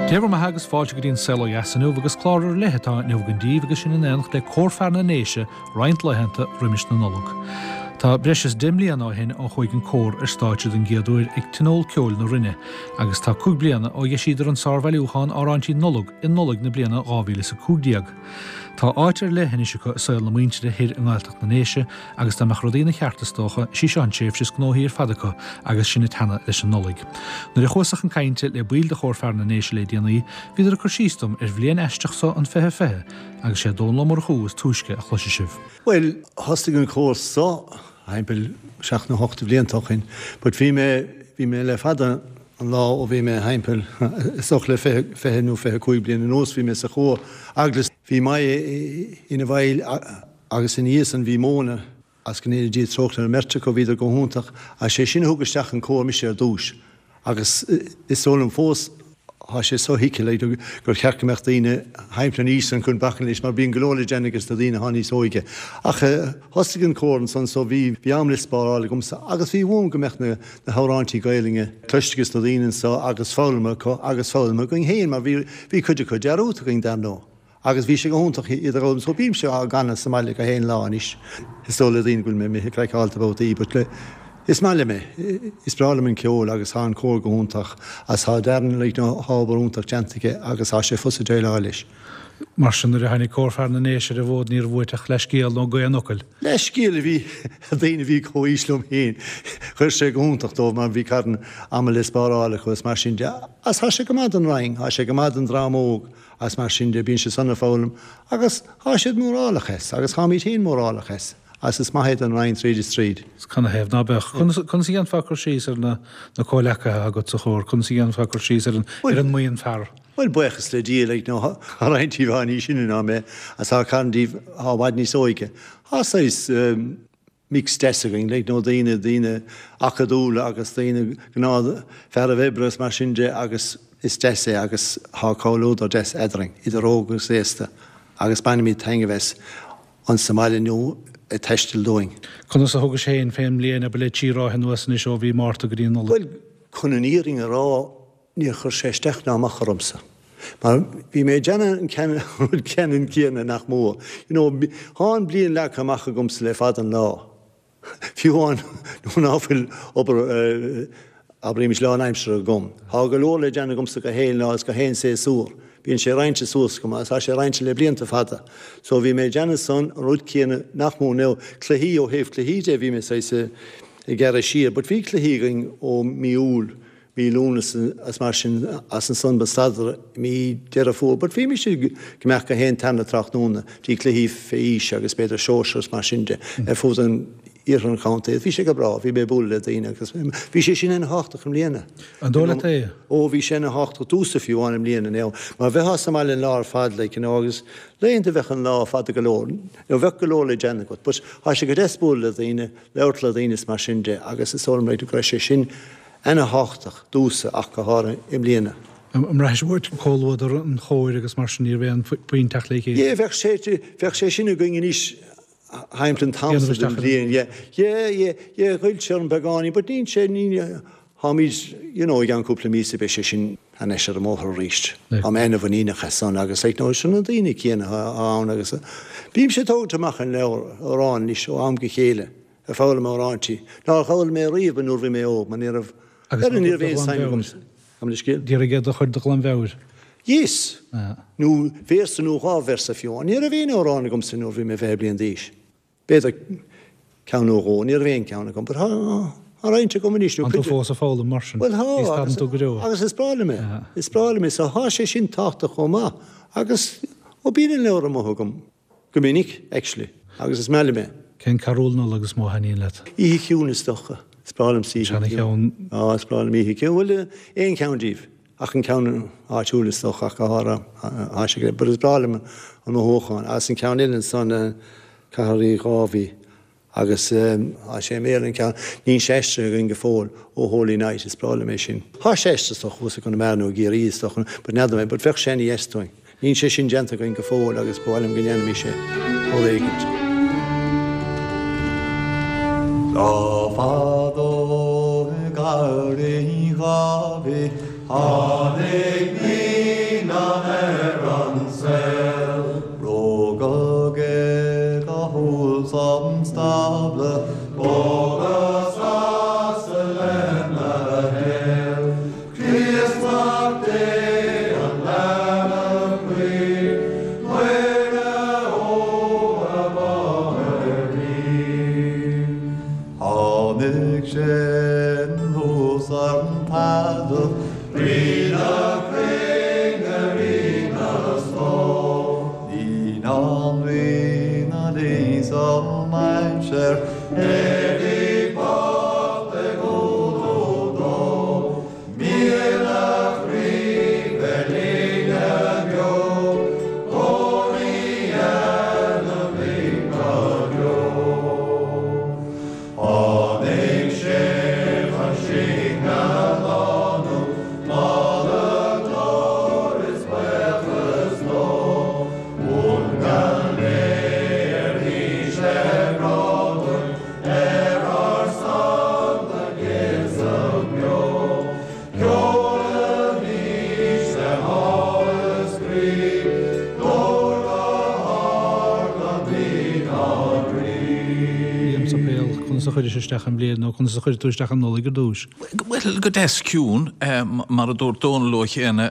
Dé bhur mbeatha agus fáilte go dtí an Saol Ó Dheas inniu agus clár ar leith atá inniu againn daoibh agus sinn in éineacht le Cór Fear na nDéise roinnt laethanta roimis na Nollag. Tá breis is 10 mbliana ó shin ó chuaigh an cór ar stáitse den gcéad uair ag Tionól Ceoil na Rinne agus tá 5 bliana ó dheisíodar an sárbhailiúchán Amhráintí Nollag i Nollaig na bliana 2015. Tá áit ar leith anois acu i saol na muintire thoir i nGaeltacht na nDéise agus dá mbeadh rudaí ina cheart is dócha, is í seo an tréimhse is gnóthaí ar fad acu agus sinn ag teannadh leis an Nollaig. Nuair a chuas-sa chun cainte le baill de Chór Fear na nDéise le déanaí, bhíodar ag cur síos dom ar bhliain aisteach so an 2020 agus sé Dónall Ó Murchú is túisce a chloisfidh sibh. Bhuel, thosaigh an cór so thimpeall seacht nó hocht de bhlianta ó shin, but bhí mé, bhí mé le fada an lá ó bhí mé thimpeall, is dócha le 20 nó 25 bliain anuas, bhí mé sa chór eaglasta. Bhí Moya ina bhall agus ina dhiaidh san bhí Móna agus go ndéana Dia trócaire ar an mbeirt acu, bhíodar go hiontach agus sé sin a thug isteach an cór mise ar dtúis agus is dóigh liom fós Tá sé sothuigthe like gur cheart go mbeadh daoine thimpeall an aois san chun bacainn leis mar bíonn go leor le déanamh ages na daoine atá níos óige. Ach thosaigh an cór ansan so bhí bhí am le spáráil agamsa agus bhí uaim go mbeadh na na hamhráintí Gaelainne cloiste ages na daoine anso agus foghlamtha acu agus foghlamtha againn féin mar bhí bhí cuid acu dearúdta againn dar ndóigh. Agus bhí sé go hiontach iad a fhoghlaim so bímse á gcanadh sa mbaile gach aon lá anois. Is dóigh le daoine go bhfuil mé imithe craiceáilte babhtaí but le is maith liom é. Is breá liom an ceol agus tá an cór go hiontach agus tá Darren like you know tá obair iontach déanta aige agus tá sé fusa déileáil leis. Mar sin nuair a tháinig Cór Fear na nDéise ar an bhfód ní raibh uait ach leathscéal nó gaoth an fhocail. Leathscéal a bhí ag daoine a bhí comhaois liom féin. Chuir sé go hiontach dóibh mar bhí carn ama le spáráil acu is mar sin de. Agus tá sé go maith don Rinn, tá sé go maith don dream óg. Agus mar sin de, bíonn siad san ag foghlaim agus thá siad mórálach as, agus tháimíd féin mórálach as, agus is maith é don Rinn tríd is tríd. Is canathaobh ná beadh? Conas, conas a dhéanfá cur síos ar na, na comhleacaithe agat sa chór? Conas a dhéanfá cur síos ar an, ar an mbuíon fear? Bhuel, buíochas le Dia, like, nó thá roinnt díobh athá níos sine ná mé, agus thá carn díobh athá i bhfad níos óige. Thá saghas, mix deas againn, like, nó daoine, daoine acadúla agus daoine gnáth fearaibh oibre agus mar sin de agus is deas é agus thá comhluadar deas eadrainn, idir óg agus aosta agus bainimid taitneamh as ansa mbaile nó ag taisteal dúinn. Conas a thugais féin fén mbliain abair le trí ráithe anuas anois ó mhí Márta go dtí an Nollaig? Bhuel, chun an fhírinne a rá, Níor chuir sé isteach ná amach ormsa. Mar bhí mé ag déanamh an ceann, rud ceannann céanna nach mór. You know, thá an bliain leagtha amach agamsa le fada an lá. Fiú amháin nuair ná fuil obair, abraímis lánaimseartha agam. Thá go leor le déanamh agamsa gach aon lá is gach aon séasúr. Bíonn sé roinnte suas agam agus thá sé roinnte le blianta fada. So bhí mé ag déanamh san, an rud céanna nach mór. Now, cluichí, ó thaobh cluichí de, bhí mé saghas ag gearradh siar. But bhí cluichí againn ó mí Iúil mí Lúnasa is mar sin agus ansan ba stadadar i mí Deireadh Fómhair but bhí mise ag imeacht gach aon tarna tráthnóna dtí cluichí fé aois agus b'fhéidir sóisir is mar sin de ar fud an iarthar an chontae. Bhí sé go breá, bhí mé ag bualadh le daoine agus bhí sé sin ana thábhachtach i mbliana. An dóigh leat é? Ó bhí sé ana thábhachtach domhsa fiú amháin i mbliana now mar bheifeá sa mbaile an lá ar fad like you know agus laethanta bheadh an lá fada go leor nó bheadh go leor le déanamh agat but thá sé go deas bualadh le daoine, labhairt le daoine is mar sin de agus is dóigh liom go raibh sé sin ana thábhachtach domhsa ach go háirithe i mbliana. An mbraithis uait comhluadar an chóir agus mar sin ní raibh aon bhaint ach le chéile? Yeah bheadh sé bheadh sé sin againn anois thimpeall an t-am so den bhliain yeah yeah yeah yeah ghoill sé orm beagáinín but níl sé ní tháimid you know i gceann cúpla míosa beidh sé sin thar n-ais ar an mbóthar arís. Tá mé ana mhuiníneach as san agus like you know sin na daoine céanna atá ann agus bímse ag tógaint amach an leabhar amhrán anois ó am go chéile. Ag foghlaim amhráintí nár fhoghlaim mé riamh nuair bhí mé óg, mar ní raibh, Agus ní raibh aon suim agam sa scéal. D'iarraidh iad a chur de ghlanmheabhair. Yes! Nó véarsa nó dhá véarsa fiú. Ní raibh aon amhrán agamsa nuair bhí mé 20 bliain d'aois. B'fhéidir ceann nó dhó, ní raibh aon ceann agam. But tá roinnt agam anois. Tá tú fós ag foghlaim mar sin. Bhuel tá, Ní stadann tú go deo. agus is breá liom é. Is breá liom é. So tá sé sin tábhachtach chomh maith. Agus, ó bíonn an leabhar amuigh agam. Go minic, actually, agus is maith liom é. Cén carúl Nollag is mó a thaitníonn leat? Oíche Chiúin is dócha. Is breá liomsa Oíche Chiúin. Seana-cheann. Á, is breá liom Oíche Chiúin. Bhuel, aon cheann díobh. Ach an ceann áitiúil is dócha, ach go háirithe, tá sé go But is breá liom an mothúchán. Agus an ceann eile ansan, Cathair Rí Dháibhí. Agus tá sé i mBéarla an ceann, níl sé aistrithe againn go fóill, O Holy Night, is breá liom é sin. Tá sé aistrithe is dócha thuas i gConamara nó i gCiarraí is dócha, but n'fheadar mé, but bheadh sé ana dheas dúinn. Níl sé sin déanta againn go fóill agus ba mhaith liom go ndéanfaimis é uair éigint. Lá fadó i gCathair Uí Dháibhí tháinig naomh. sa mainséar, éadaí bocht ag umhlú dó. Míle croí bheith linne beo, go Rí eile linn go deo. Tháinig sé chun sinn a shlánú, Moladh, glóir is buíochas dó. Uaim gan léir thís le grá dúinn, Ar ár son do giosadh beo. Ceolaimis le háthas croí, Glór go hard an Rí ár Rí. Liam Sopéal, conas a chuiris isteach an bhliain nó conas a chuir tú isteach an Nollaig ar dtús? Bhuel, go deas ciúin. Mar a dúirt Dónal ó chéanna,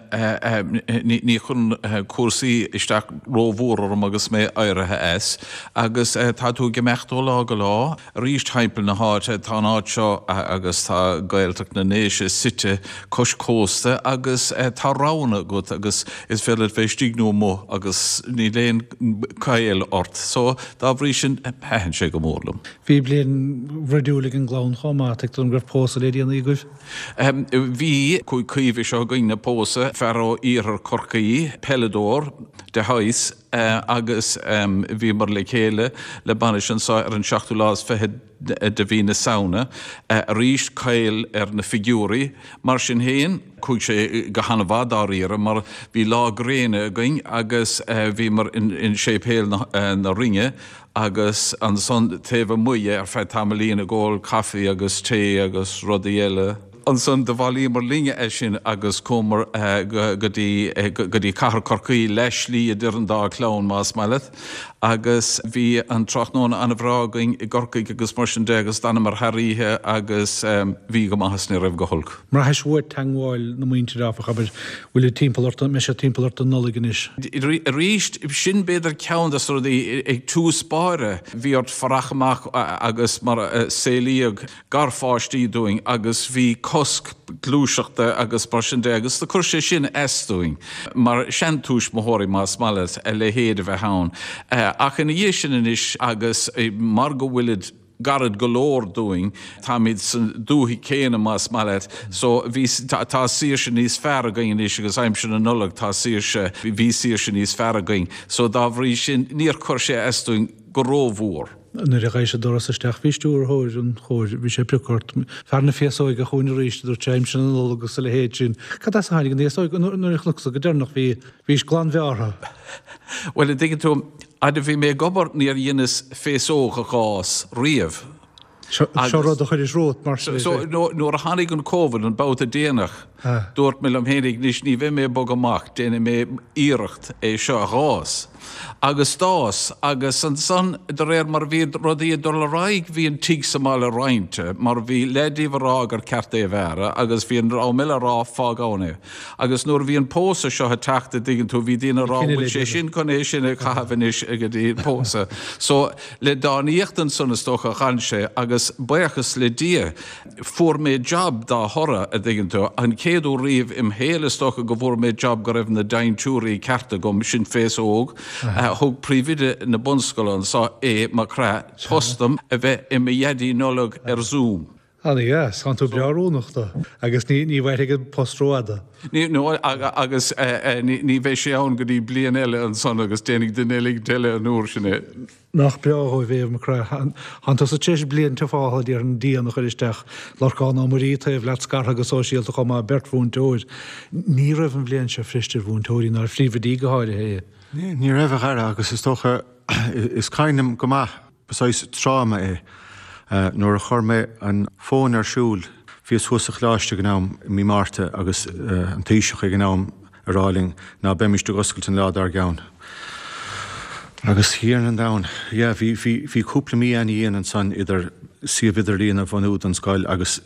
ní chuireann cúrsaí isteach rómhór orm agus mé éirithe as. Agus tá tú ag imeacht ó lá go lá. Arís timpeall na háite, tá an áit seo agus tá Gaeltacht na nDéise suite cois cósta agus tá roghanna agat agus is féidir leat bheith istigh nó amuigh agus níl aon caill ort. So, dá bhrí sin, thaitin sé go mór liom. Bhí bliain bhruidiúil ag an gclann chomh maith, tuigtear dom go raibh pósadh le déanaí agaibh? Bhí, chuaigh Caoimhe seo againn a pósadh, fear ó iarthar Chorcaí, peileadóir de shaghas, agus bhíomar le chéile le bainis anseo ar an seachtú lá is fichead de mhí na Samhna. Arís, caill ar na figiúirí. Mar sin féin, chuaigh sé go han-mhaith dáiríre mar bhí lá gréine againn agus bhíomar in Séipéal na Rinne agus ansan taobh amuigh ar feadh tamaillín ag ól caife agus tae agus rudaí eile. Ansan do bhailíomar linne as sin agus chuamar go dtí go dtí cathair Chorcaí, leath slí idir an dá chlann más maith leat, agus bhí an tráthnóna an-bhreá againn i gCorcaigh agus mar sin de agus d'fhanamar thar oíche agus bhí go maith is ní raibh go holc. Mbraithis uait teangmháil na muintire áfach, abair, bhfuil siad timpeall ort, an mbeidh siad timpeall ort don Nollaig anois? Arís, sin b'fhéidir ceann de na rudaí ag tús báire, bhí ort fuireach amach agus mar a saolaíodh garpháistí dúinn agus bhí cosc gluaiseachta agus mar sin de agus do chuir sé sin as dúinn mar seantuismitheoirí más maith leat a leithéid a bheith ann. Ach ina dhiaidh sin anois agus mar go bhfuilid gairid go leor dúinn, táimid sa dúthaigh céanna más maith leat, so bhí, tá saoirse níos fearr againn anois agus aimsir na Nollag tá saoirse, bhí saoirse níos fearr againn so dá bhrí sin níor chuir sé as dúinn go rómhór. Nuair a ghabhais an doras isteach bhí stiúrthóir an chóir, bhí sé ag piocadh ort, fear na féasóige chugainn arís, a dúirt sé, aimsir na Nollag agus a leithéid sin. Cad as a tháinig an fhéasóig? Nuair a chonacsa go deireanach bhí, bhís glanbhearrtha. Bhuel, a dtuigeann tú, fhad a bhí mé ag obair níor dheineas féasóg a dh'fhás riamh. Seo rud a chuiris romhat mar sin. So nuair a tháinig an Covid, an babhta déanach, dúirt mé liom fhéinig, anois ní bheidh mé ag bogadh amach, déanfaidh mé iarracht é seo a dh'fhás. Agus d'fhás, agus ansan de réir mar a bhí rudaí ag dul ar aghaidh bhí an tigh sa mbaile roinnte, mar bhí leath díobh a rá gur ceart é a bhearradh agus bhí an dream eile a rá fág ann é. Agus nuair a bhí an pósadh seo ag teacht a dtuigeann tú, bhí daoine a rá bhfuil sé sin chun é sin a chaitheamh anois go dtí an pósadh. So le dánaíocht ansan is dócha a dh'fhan sé agus buíochas le Dia fuair mé job dá thoradh a dtuigeann tú. An chéad uair riamh im shaol is dócha go bhfuair mé job go raibh na dintiúirí ceart agam, sin féasóg. Thug príomhoide na bunscoile anso é Maigh Craith post dom a bheith i mo Dhaidí Nollag ar Zoom. Ana-dheas, tánn tú breá oiriúnach dó agus ní ní mhairfidh an post rófhada. Ní, no, agus ní ní bheidh sé ann go dtí bliain eile ansan agus déanfaidh duine eicínt eile an uair sin é. Nach breá dhóibh é, a Mhac Craith. Tánn tusa tar éis bliain tufála, déarfainn, dian a chur isteach. Lorcán Ó Muirí taobh leat scartha go sóisialta chomh maith, beirt mhúinteoir. Ní raibh an bhliain seo fuirist ar mhúinteoirí, ná ar phríomhoidí go háirithe. Ní raibh, a Dhara, agus is dócha, is cuimhin liom go maith, Ba saghas tráma é. Nuair a chuir mé an fón ar siúl, bhíos thuas sa choláiste ag an am i mí Márta agus an Taoiseach ag an am ag rá linn ná beimis ag oscailt an lá dár gceann. Agus a Thiarna an domhain, yeah, bhí, bhí, bhí cúpla mí ana-dhian ansan idir suíomh idirlíon a bhunú don scoil agus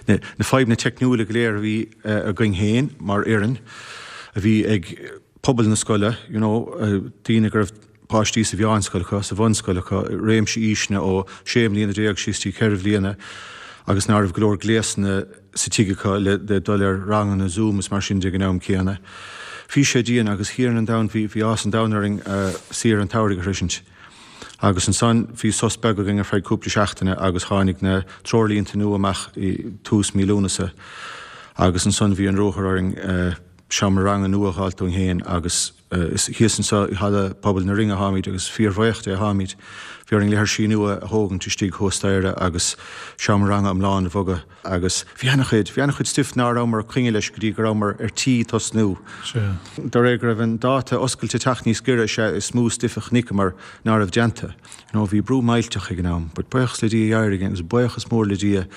na fadhbanna teicniúla go léir a bhí againn féin mar fhoireann, a bhí ag pobal na scoile, you know, daoine go raibh páistí sa mheánscoil acu, sa bhunscoil acu, réimse aoiseanna ó 16 mbliana síos dtí 4 bhliana agus ná raibh go leor gléasanna sa tigh acu le dul ar ranganna Zoom is mar sin de ag an am céanna. Bhí sé dian agus a Thiarna an domhain, bhí, bhí áthas an domhain orainn saoire an tsamhraidh a shroisint. Agus ansan bhí sos beag againn ar feadh cúpla seachtaine agus tháinig na treoirlínte nua amach i tús mí Lúnasa agus ansan bhí an ruathar orainn seomra ranga nua a dh'fháilt dúinn féin agus is thíos anso i Halla Pobail na Rinne atáimid agus fíorbhuíoch de atáimid. Bhí orainn leithirsí nua a thógaint istigh thuas staighre agus seomra ranga iomlán a bhogadh agus bhí ana-chuid, bhí ana-chuid stuif ná rabhamar ag coinne leis go dtí go rabhamar ar tí tosnú. Sea. De réir go raibh an dáta oscailte ag teacht níos giorra is ea is mó stuif a chonaiceamar ná raibh déanta. You know, bhí brú millteach ag an am, but buíochas le Dia d'éirigh agus buíochas mór le Dia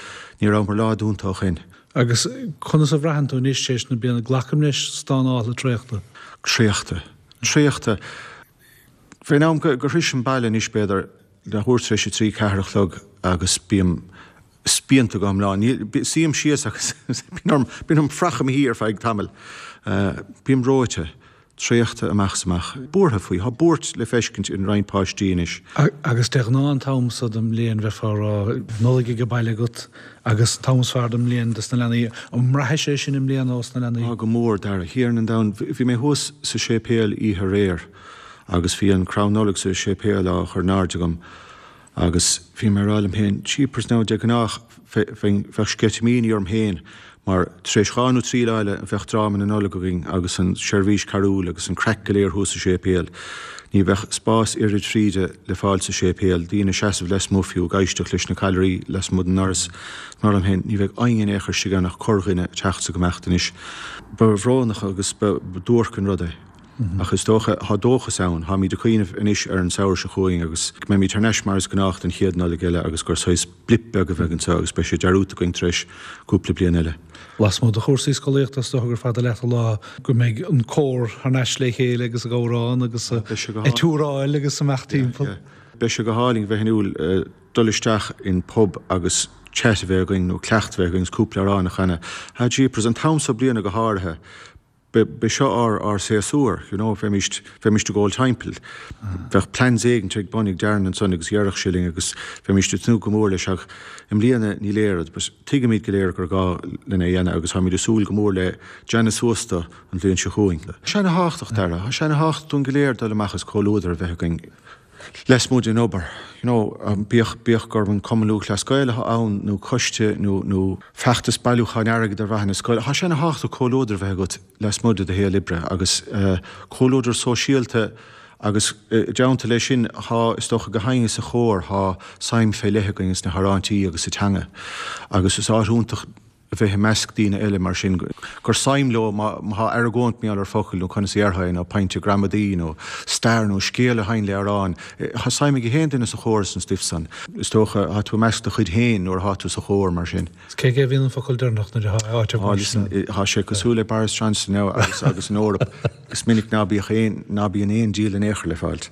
ní rabhamar lá dúnta ó shin. Agus conas a bhraitheann tú anois tar éis na bliana? Glacaim leis stánáilte traochta. Traochta. Traochta. Fén am go sroisim baile anois b'fhéidir leathuair tar éis a trí, ceathair a chlog agus bím spíonta go hiomlán. Suím síos agus bíonn orm, bíonn orm fuireach i mo shuí ar feadh tamaill. Bím reoite. Traochta amach is amach. Buartha faoi. Tá buairt le feiscint in roinnt páistí anois. Agus de ghnáth an t-am so den mbliain bheifeá ag rá Nollaig ag baile agat agus an t-am is fearr den mbliain dos na leanaí. An mbraithfidh sé sin i mbliana ós na leanaí? Á go mór, Dara. A Thiarna an domhain, bhí mé thuas sa séipéal oíche aréir agus bhí an crann Nollag sa séipéal á chur in airde agam Agus bhí mé ag rá liom féin, jeepers now, de ghnáth bheadh sceitimíní orm féin mar tar éis dhá nó trí lá eile bheadh dráma na Nollag againn agus an seirbhís carúil agus an craic go léir thuas sa séipéal. Ní bheadh spás oiread fríde le fáil sa séipéal, daoine ag seasamh lasmuigh fiú ag éisteacht leis na callairí lasmuigh den ndoras. Mar liom féin, ní bheidh éinne in aon chor istigh ann ach corrdhuine ag teacht is ag imeacht anois. Ba bhrónach agus ba duairc an rud é. Ach is dócha, tá dóchas ann, táimid ag cuimhneamh anois ar an samhradh seo chugainn agus go mbeimid thar n-ais mar is gnách don chéad Nollaig eile agus gur saghas blip beag a bheidh anseo agus beidh sé dearúdta againn tar éis cúpla bliain eile. Lasmuigh de chúrsaí scolaíochta is dócha gur fada leat an lá go mbeidh an cór thar n-ais le chéile agus ag amhrán agus ag túráil agus amach timpeall. Beidh sé go hálainn bheith in iúl dul isteach in pub agus chat a bheith againn nó cleacht a bheith againn agus cúpla amhrán a chanadh. Ah jeepers, an t-am so bliana go háirithe. B'é seo ár ár séasúr, you know, bheimíst, bheimíst ag gabháil timpeall. Bheadh plans éigint ag bun ag Darren ansan agus dhéarfadh sé linn agus bheimíst ag tnúth go mór leis ach i mbliana ní léir, but tuigimid go léir gur gá linn é a dhéanamh agus táimid ag súil go mór le déanamh suas do an bhliain seo chugainn. Tá sé ana-thábhachtach, Dara, tá sé ana-thábhachtach dúinn go léir dul amach is comhluadar a bheith againn. Lasmuigh den obair, you know, bíodh, bíodh gurb an Cumann Lúthchleas Gael atá ann nó coiste nó, nó feachtas bailiúcháin airgid ar mhaithe na scoile, tá sé ana-thábhachtach comhluadar a bheith agat lasmuigh de do shaol oibre agus comhluadar sóisialta agus i dteannta leis sin tá, is dócha, gach éinne sa chór, tá suim fé leith againn sna hamhráintí agus sa teanga agus is áit iontach a bheith i measc daoine eile mar sin, gur suim leo má tá argóint mar gheall ar focal nó conas a dhéarfá é nó pointe gramadaí nó stair nó scéal a théann le amhrán. Tá suim ag gach aon duine sa chór san stuif san. Is dócha, tá tú i measc do chuid féin nuair atá tú sa chór mar sin. Is cé aige a bhíonn an focal deireanach nuair atá áit ar bun sin? Tá sé cosúil le Boris Johnson now agus agus an Eoraip. Is minic ná bíodh aon, ná bíonn aon díol in aon chor le fáilt.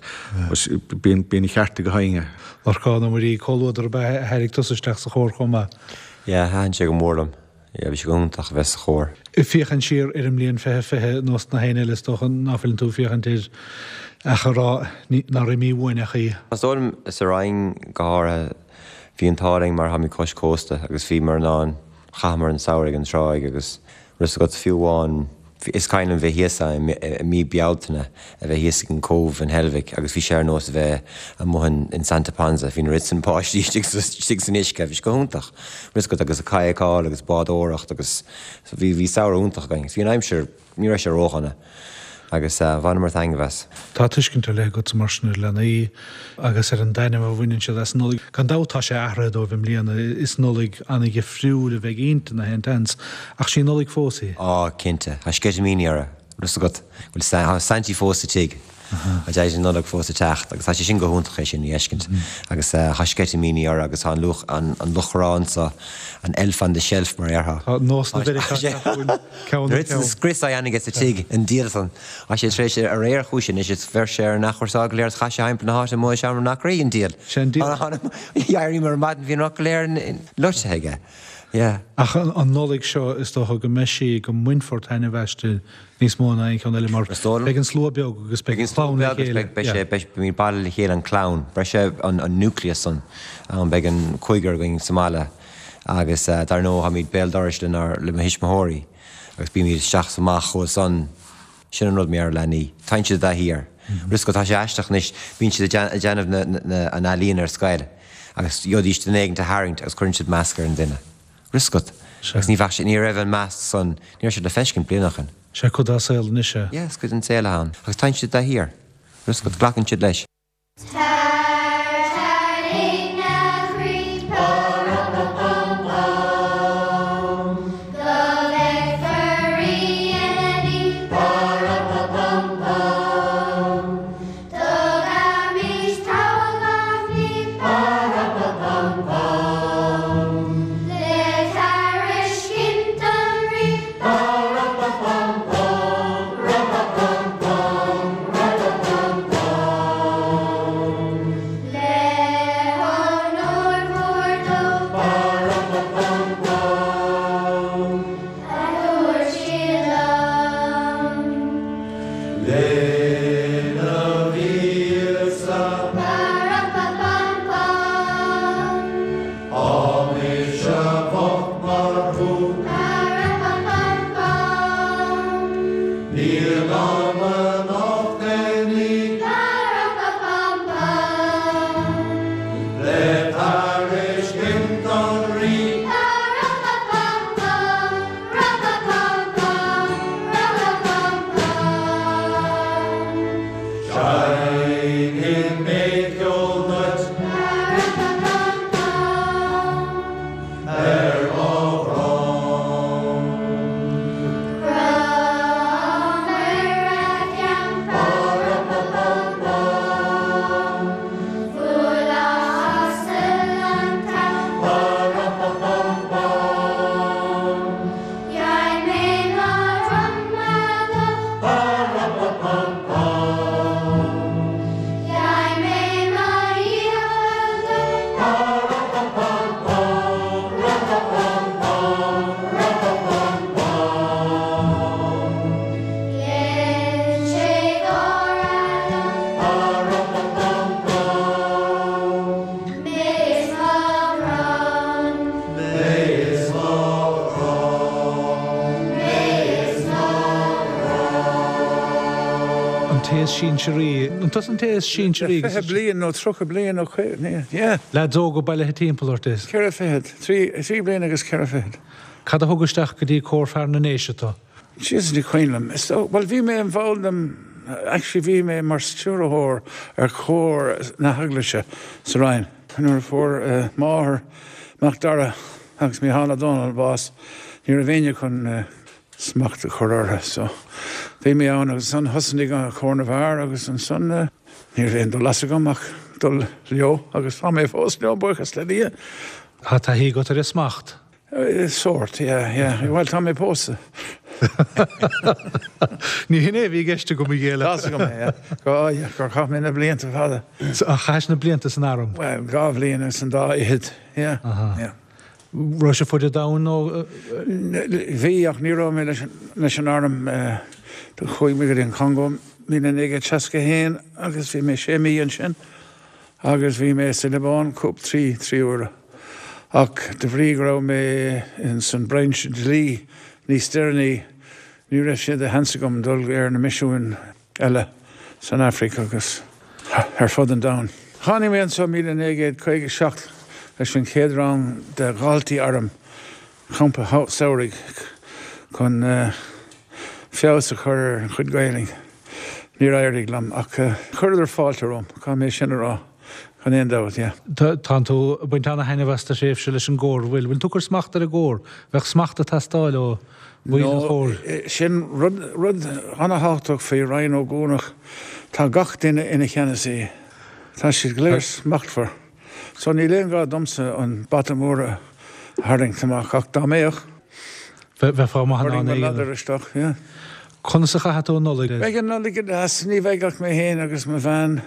Bíonn, bíonn a cheart ag gach éinne. Lorcán Ó Muirí, comhluadar ab ea a tharraing tusa isteach sa chór chomh maith? Yeah, thaitin sé go mór liom. Yeah, bhí sé go hiontach a bheith sa chór. Ag féachaint siar ar an mbliain 2020 nós na héinne eile is dócha ná fuileann tú ag féachaint air ach a rá nár imigh uainn ach í. Is dóigh liom sa Rinn go háirithe, bhí an t-ádh linn mar táimid cois cósta agus bhíomar in ann, chaitheamar an samhradh ag an tráigh agus raibh 's agat fiú amháin Is cuimhin liom bheith thíos ann i mí Bealtaine, a bheith thíos ag an Cóbh in Heilbhic agus bhí sé ar nós a bheith amuigh in Santa Ponsa, bhí an oiread sin páistí istigh san uisce, bhí sé go hiontach. Raibh 's agat agus ag cadhcáil agus bádóireacht agus bhí bhí samhradh iontach againn. Bhí an aimsir, ní raibh sé ródhona agus bhaineamar taitneamh as. Tá tuiscint ar leith agatsa mar sin ar leanaí agus ar an dtaitneamh a bhaineann siad as an Nollaig. Gan dabht tá sé athraithe dóibh i mbliana, is Nollaig an-dhifriúil a bheidh inti nach aon tseans, ach sí Nollaig fós í. Á, cinnte. Tá sceitimíní orthu. Raibh 's agat, bhfuil tá Saintí fós sa tigh. Tá Daidí na Nollag fós ag teacht agus tá sé sin go hiontach é sin a fheiscint. Agus tá sceitimíní orthu agus tá an luch, an luch anso, an elf on the shelf mar a déarfá. Tá nós na Mheiriceá ag teacht chugainn ceann ar cheann. Scrios á dhéanamh aige sa tigh, an diabhal san. Tá sé tar éis aréir chuaigh sé anois is bheir sé ar an athchúrsáil go léir is chaith sé thimpeall na háite amuigh i seomra na acraí, an diabhal. Sé an diabhal. D'éiríomar ar maidin bhí an rud go léir loite aige. Yeah. Ach an Nollaig seo is dócha go mbeidh sí, go mbainfear taitneamh aisti níos mó ná aon cheann eile mar beidh an slua beag agus beidh an chlann le chéile. Beidh sé, beidh, beimid bailithe le chéile an clann, beidh sé an nucleus san ann, beidh an cúigear againn sa mbaile agus dar ndóigh táimid béal dorais lenár, le mo thuismitheoirí agus bímid isteach is amach chucu san. Sin an rud mar gheall ar leanaí. Téann siad i dtaithí air. Bhfuil fhios agat, tá sé aisteach anois, bíonn siad ag déanamh an ealaíon ar scoil agus gheobhaidís duine éigin a tharraingt agus cuireann siad masc ar an duine. Bhfuil fhios agat. Agus ní bheadh sé, ní raibh an masc san, ní raibh sé le feiscint bliain ó shin. Sé cuid dá saol anois é. Yeah, is cuid den saol atá ann. Agus téann siad de shíor. Bhfuil fhios agat, glacann siad leis. Tartairigh na chroí Pa-ra-pa-pam-pam Go bhfeicfear Rí na ní Pa-ra-pa-pam-pam Tugaimis togha gach ní Pa-ra-pa-pam-pam Le tairiscint don Rí Pa-ra-pa-pam-pam Ra-pa-pam-pam Ra-pa-pam-pam Le honóir mhór dó Pa-ra-pa-pam-pam A dúirt siad liom. Lena mhíosa. Pa-ra-pa-pam-pam. Tá mise bocht mar thú. Pa-ra-pa-pam-pam. Níl dom anocht aon ní. Pa-ra-pa-pam-pam. Le tairiscint don Rí. Pa-ra-pa-pam-pam. Ra-pa-pam-pam. Ra-pa-pam-pam. Seinnfidh mé ceol duit. Pa-ra-pa-pam-pam. Ar mo dhrom. Crom ar a cheann. Pa-ra-pa-pam-pam. Bhuail a asal an t-abhainn. Pa-ra-pa-pam-pam. Ghearr mé mo dhroma dó. Pa-ra-pa-pam-pam. Ghearr mé mo dhiabhal dó. Pa-ra-pa-pam-pam, ra-pa-pam-pam, ra-pa-pam-pam. Gheil sé gáire liom. Pa-ra-pa-pam-pam. Mé is mo dhrom. Mé is mo dhrom. Mé is mo dhrom. An té is sinsearaí. An tusa an té is sinsearaí? Le 20 bliain nó 30 bliain nó 50, yeah. Leaids óga bailithe timpeall ort is. Ceithre fichead. Trí bliana agus ceithre fichead. Cad a thug isteach go dtí Cór Fear na nDéise tú? Jesus ní cuimhin liom. Is dóigh, bhuel bhí mé i mball den, actually bhí mé mar stiúrthóir ar chór na heaglaise sa Rinn. Nuair a fuair máthair Macdara agus Mícheál Ó Domhnaill bás ní raibh éinne chun smacht a chur orthu so bhí mé ann agus ansan thosnaigh Cór na bhFear agus ansan ní raibh aon dul as agam ach dul leo agus tá mé fós leo buíochas le Dia. Tá taithí agat ar an smacht? Sórt, yeah, yeah. Bhuel tá mé pósta. Ní hin é a bhí i gceist agam a ghéilleadh. Tá's agam é, yeah. Go, yeah, gur chaith mé na blianta fada. Ach chaithis na blianta san arm? Bhuel, dhá bhliain agus an dá fhichead, yeah, yeah. Raibh sé fuaid an domhain nó? Bhí, ach ní raibh mé leis an arm. Chuaigh mé go dtí an Congó 1961 agus bhí mé sé mí ansin agus bhí mé sa Liobáin cúpla trí trí huaire. Ach de bhrí go raibh mé ins an brainse dlí níos deireanaí ní raibh sé de sheans agam dul ar na misiúin eile san Afraic agus ar fud an domhain. Tháinig mé anseo 1957 leis an chéad rang de dhaltaí airm, campa samhraidh chun feabhas a chur ar an chuid Gaelainn. Níor éirigh liom ach chuireadar fáilte romham, caithfidh mé sin a rá, gan aon dabht, yeah. Tánn tú ag baint ana-thaitneamh as do thréimhse leis an gcór, bhfuil? Bhfuil tú ag cur smacht ar an gcór? Bheadh smacht ag teastáil ó bhaill an chóir. Sin rud ana-thábhachtach faoi Rinn Ó gCuanach, tá gach duine ina cheannasaí. Tá siad go léir smachtmhar. So níl aon ghá domsa an bata mór a tharraingt amach, ach dá mbeadh, Bheifeá maith in ann é a dhéanamh. Ladar isteach, yeah. Conas a chaithfidh tú an Nollaig? Beidh an Nollaig go deas, ní bheidh ach mé féin agus mo bhean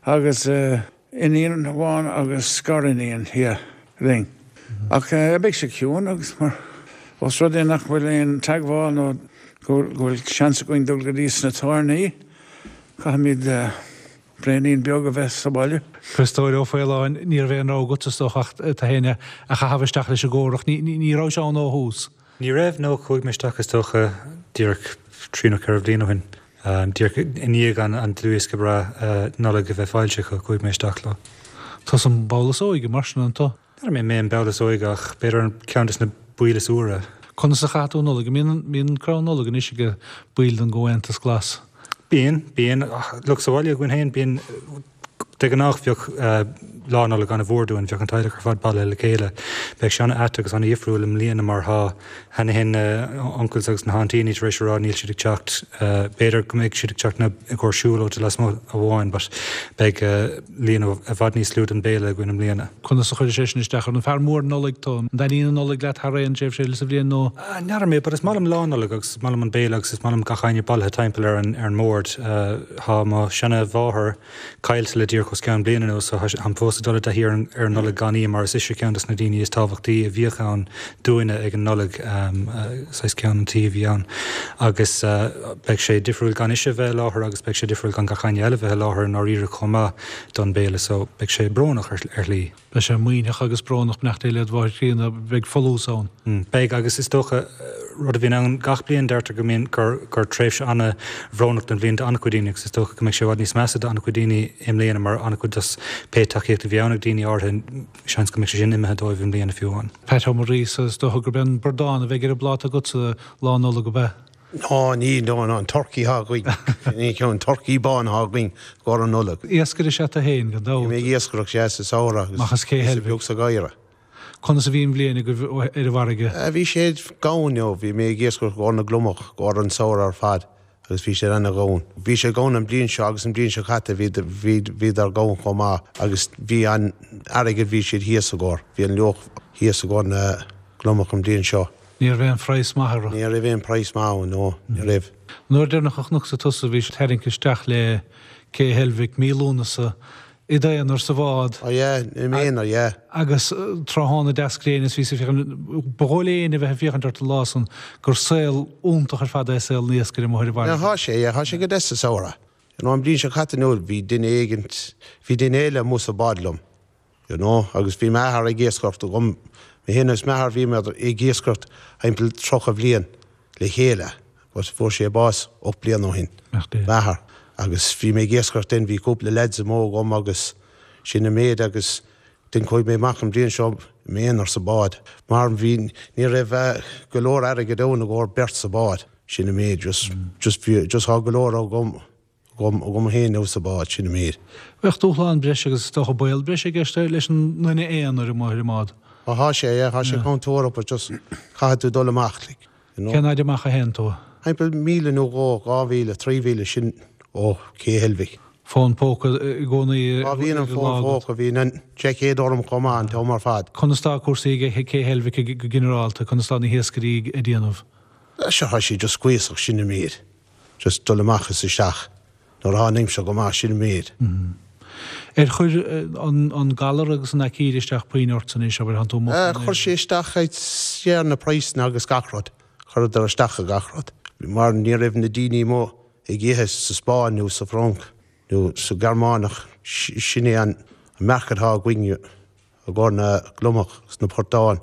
agus. Iníon amháin agus gariníon, yeah, linn. Ach beidh sé ciúin agus mar, ós rud é nach bhfuil aon teagmháil nó go bhfuil seans againn dul go dtí sna tábhairní, caithfimid braonín beag a bheith sa bhaile. Criostóir Ó Faoláin, Ní raibh aon rogha agat is dócha ach tú féin a chaitheamh isteach leis an gcór ach ní rabhais ann ó thús. Ní raibh, no, chuaigh mé isteach is dócha díreach trí nó ceithre bhliain ó shin. Díreach i ndiaidh an dlúthdhiosca breá Nollag a bheith foilsithe acu, chuaigh mé isteach leo. Tusa an ball is óige mar sin, an tú? N'fheadar an mé an ball is óige ach b'fhéidir ceann des na baill is úire. Conas a chaith tú an Nollaig? An mbíonn crann Nollag anois ag baill den gComhaontas Glas? Bíonn, bíonn. Look, sa bhaile againn féin, bíonn, de ghnáth bheadh Lá Nollag an-mhór dúinn, bheadh an teaghlach ar fad bailithe le chéile. Beidh sé an-ait agus an-dhifriúil i mbliana mar tá cheana féin na uncles agus na hauntíní tar éis a rá níl siad ag teacht. B'fhéidir go mbeidh siad ag teacht i gcomhair siúlóide lasmuigh amháin but beidh líon i bhfad níos lú don béile againn i mbliana. Conas a chuireann sé sin isteach ort? An fear mór Nollag tú? An dtaitníonn an Nollaig leat thar aon tréimhse eile sa bhliain nó? N'fheadar mé but is maith liom Lá Nollag agus is maith liom an béile agus is maith liom gach éinne bailithe timpeall ar an ar an mbord. Tá mo sheana-mháthair caillte le díreach os cionn bliain anuas so táim fós ag dul i dtaithí ar an ar an Nollaig gan í mar is ise ceann dos na daoine is tábhachtaí a bhíodh ann dúinne ag an Nollaig, saghas ceann an tí a bhí ann agus beidh sé difriúil gan ise bheith i láthair agus beidh sé difriúil gan gach éinne eile bheith i láthair i ndáiríre chomh maith don béile so beidh sé brónach ar shlí. Beidh sé maoithneach agus brónach, beannacht Dé led mháthair chríonna, beidh folús ann. Beidh agus is dócha rud a bhíonn ann gach bliain deirtear go mbíonn gur gur tréimhse an-bhrónach den bhliain d'an-chuid daoine agus is dócha go mbeidh sé i bhfad níos measa d'an-chuid daoine i mbliana mar an-chuid dos pé tacaíocht a bhí ann ag daoine áirithe seans go mbeidh sé sin imithe dóibh i mbliana fiú amháin. Pat Ó Muiríosa, Is dócha gurb é an bradán a bheidh ar an bpláta agatsa Lá Nollag, ab ea? Ná, ní, ná, ná, an turcaí atá againn. Ní ceann, turcaí bán atá againn i gcomhair an Nollag. Iascaire is ea tú féin, gan dabht. Bhí mé ag iascaireacht, sea, sa samhradh agus Amach as Cé píosa beag sa gheimhreadh. Conas a bhí an bhliain agaibh ar an bhfarraige? Bhí sé gann, you know, bhí mé ag iascaireacht i gcomhair na gliomach, i gcomhair an samhradh ar fad agus bhí siad ana-ghann. Bhí sé gann an bliain seo agus an bliain seo caite bhí, bhí, bhíodar gann chomh maith agus bhí an airgead, bhí siad thíos i gcomhair, bhí an luach thíos i gcomhair na gliomach an bliain seo. Ní raibh aon phraghas maith orthu. Ní raibh aon praghas maith ann, no, ní raibh. An uair deireanach a chonacsa tusa bhís ag tarraingt isteach le Cé Heilbhic, mí Lúnasa, i d'aonar sa bhád. Oh yeah, i m'aonar, yeah. Agus tráthnóna deas gréine is bhís ag féachaint, ba dhóigh le éinne a bheith ag féachaint ort an lá san gur saol iontach ar fad é saol an iascaire amuigh ar an bhfarraige. Yeah, thá sé, yeah, thá sé go deas sa samhradh. You know, an bhliain seo caite nó bhí duine éigint, bhí duine eile amuigh sa bád liom. You know, agus bhí m'athair ag iascaireacht agam, mé féin agus m'athair bhíomar ag iascaireacht thimpeall 30 bhliain le chéile, but fuair sé bás 8 bliana ó shin, m'athair, agus bhí mé ag iascaireacht then, bhí cúpla lads amuigh agam agus sin an méid agus then chuaigh mé amach an bhliain seo i m'aonar sa bád mar bhí, ní raibh go leor airgead ann i gcomhair beirt sa bád, sin an méid, just, just bhí, just thá go leor agam. Agam, agam féin nó sa bád, sin an méid. Bheadh dúshlán breise agus is dócha baol breise i gceist leis an nduine aonair amuigh ar an mbád. Á thá sé, yeah, thá sé contúirteach but just caithfidh tú dul amach like, you know. Cén fhaid amach a théann tú? Timpeall míle nó dhó, 2 mhíle, 3 mhíle, sin ó Cé Heilbhic. Fón póca i gcónaí Á bhíonn an fón póca, bhíonn an seaicéad orm chomh maith an t-am ar fad. Conas tá cúrsaí ag Cé Heilbhic go ginearálta, conas tá na hiascairí ag déanamh? Sure thá sé just cuíosach, sin an méid. Just dul amach is isteach nuair atá an aimsir go maith, sin an méid. Ar chuir an galar agus an aicíd isteach puinn ortsa anois, abair, thánn tú amuigh faoin aer? Chuir sé isteach ar na praghsanna agus gach rud. Chuireadar isteach ar gach rud. Mar ní raibh na daoine amuigh ag ithe sa Spáinn nó sa Fhrainc nó sa Ghearmáineach, sin é an market atá againn. i gcomhair na gliomach agus na portáin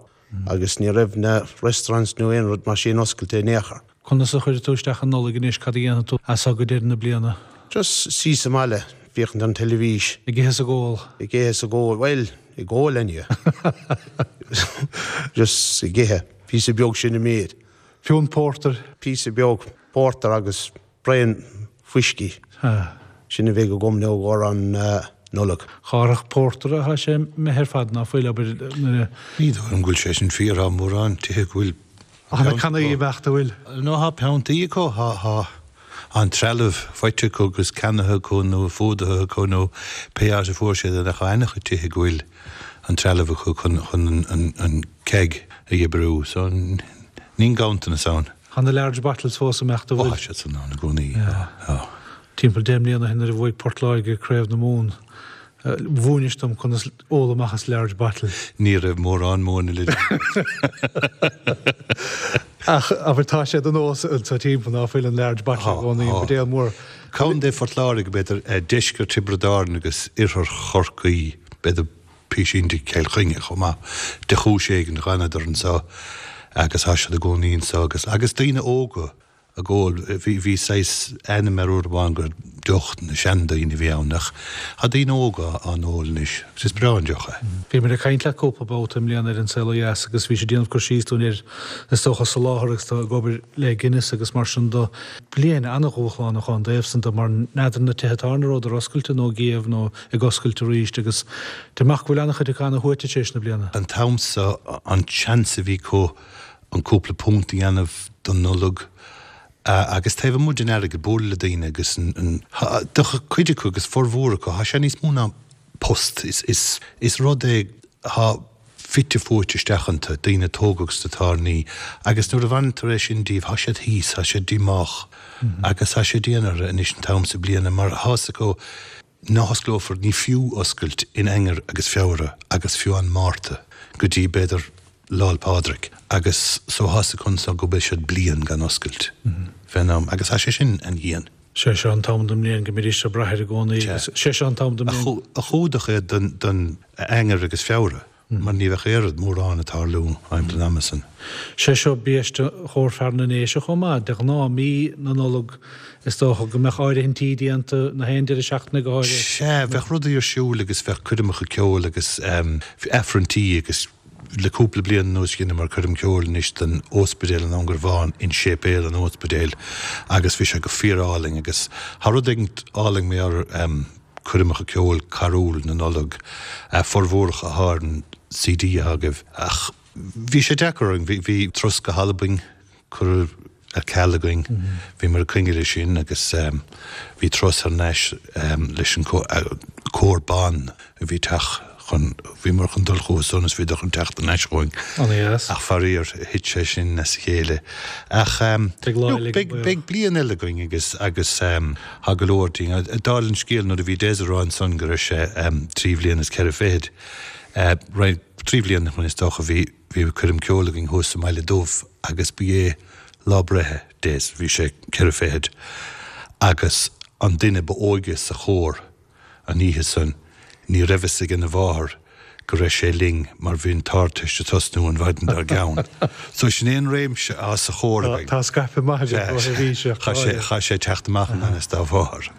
agus ní raibh na restaurants nó aon rud mar sin oscailte in aon chor. Conas a chuirfidh tú isteach an Nollaig anois, cad a dhéanfaidh tú as seo go deireadh na bliana? Just suí sa mbaile, féachaint ar an teilifís. Ag ithe is ag ól? Ag ithe is ag ól, bhuel, ag ól anyway. Just ag ithe, píosa beag sin an méid. Piúnt pórtair? Píosa beag pórtair agus Braon fuiscí. Sin a bheidh agam nó i gcomhair an Nollag. Árthach pórtair atá sé imithe ar fad ná fuil, abair, nuair a. Ní dóigh liom go bhfuil sé sin fíor, tá mórán tithe go bhfuil. Tá na cannaí imeacht, an bhfuil? No, tá piontaí acu, tá an trealamh faighte acu agus ceannaithe acu nó fuadaithe acu nó pé áit a fuair siad é ach tá an-chuid tithe go bhfuil an trealamh acu chun an keg a oibriú. So, níl ganntanas ann. Tá na large bottles fós ag imeacht, an bhfuil? Ó, tá siad san ann i gcónaí, tá. Timpeall 10 mbliana ó shin nuair a bhuaigh Port Láirge Craobh na Mumhan, mhúinis dom conas ól amach as large bottle. Ní raibh mórán móna le Ach abair tá sé de nós anso timpeall ná fuil an large bottle i gcónaí, an buidéal mór. Contae Phort Láirge, b'fhéidir, deisceart Thiobraid Árann agus oirthear Chorcaí, b'fhéidir. písín de Chill Chainnigh chomh maith. De chúis éigin d'fhanadar anseo agus tá siad i gcónaí anseo agus agus daoine óga. Ag ól, bhí, bhí saghas ainm air uair amháin gur deoch na seandaoine a bhí ann ach tá daoine óga á n-ól anois agus is breá an deoch é. Bhí muid ag caint leat cúpla babhta i mbliana ar An Saol Ó Dheas agus bhís ag déanamh cur síos dúinn ar, is dócha, soláthar agus tú ag obair le Guinness agus mar sin de. Bliain an-dhúshlánach ón dtaobh san de mar n'fheadar na tithe tábhairne an rabhadar oscailte nó ag iamh nó ag oscailt arís agus deirim go bhfuil an-chuid acu ana-shuaite tar éis na bliana. An t-am so an seans a bhí acu an cúpla punt a dhéanamh don Nollaig agus taobh amuigh den airgead, bualadh le daoine agus an, do chuid acu agus formhór acu, tá sé níos mó ná post, is rud é atá fite fuaite isteach iontu, daoine a tógadh sna tábhairní agus nuair a bhaintear é sin díobh, tá siad thíos, tá siad díomách agus tá sé dian orthu anois an t-am so bliana mar tá fhios acu Ná hosclófar, ní fiú oscailt in Eanáir agus Feabhra agus fiú amháin Márta go dtí b'fhéidir Lá'l Pádraig agus so tá fhios acu anso go bhfuil siad bliain gan oscailt fén am agus tá sé sin an-dhian. Sé seo an t-am den mbliain go mbídís ag brath air i gcónaí agus sé seo an t-am den mbliain. A chumhdach é don Eanáir agus Feabhra. mar ní bheadh oiread mórán ag tarlú thimpeall an ama san. Sé seo biaiste Chór Fear na nDéise chomh maith. De ghnáth, mí na Nollag is dócha go mbeadh áirithintí déanta, na haon deireadh seachtaine go háirithe. Sea, bheadh rudaí ar siúl agus bheadh coirmeacha ceoil agus aifrinntí agus le cúpla bliain anuas dheineamar coirm ceoil anois don óspidéal in An Garbhán in séipéal an óspidéil agus bhí sé go fíor-álainn agus tá rud éigin álainn mar coirmeacha ceoil carúil na Nollag, formhór acu atá ar an CD atá agaibh. Ach bhí sé deacair orainn, bhí turas go hAlbain curtha ar ceal againn, bhíomar ag coinne leis sin agus bhí turas thar n-ais leis an cór ban a bhí teacht chun, bhíomar chun dul chucu san is bhíodar chun teacht thar n-ais chugainn. An-dheas. Ach faraor, thit sé sin as a chéile. Ach look, beidh bliain eile againn agus agus tá go leor dínn. Dála an scéil, nuair a bhí Des ag rá ansan go raibh sé trí bhliana is ceithre fichid, roinnt, trí bhliana ó shin is dócha, bhí bhí coirm ceoil againn thuas sa mBaile Dubh agus ba é lá breithe Des, bhí sé ceithre fichid, agus an duine ba óige sa chór, An oíche san, ní raibh fhios ag ina mháthair go raibh sé linn mar bhí an tArdteist ag tosnú an mhaidin dár gceann. So sin é an réimse atá sa chór againn. Tá scaipeadh maith agat ó sheirbhíseach. Chaith sé teacht amach i ngan fhios dá mháthair.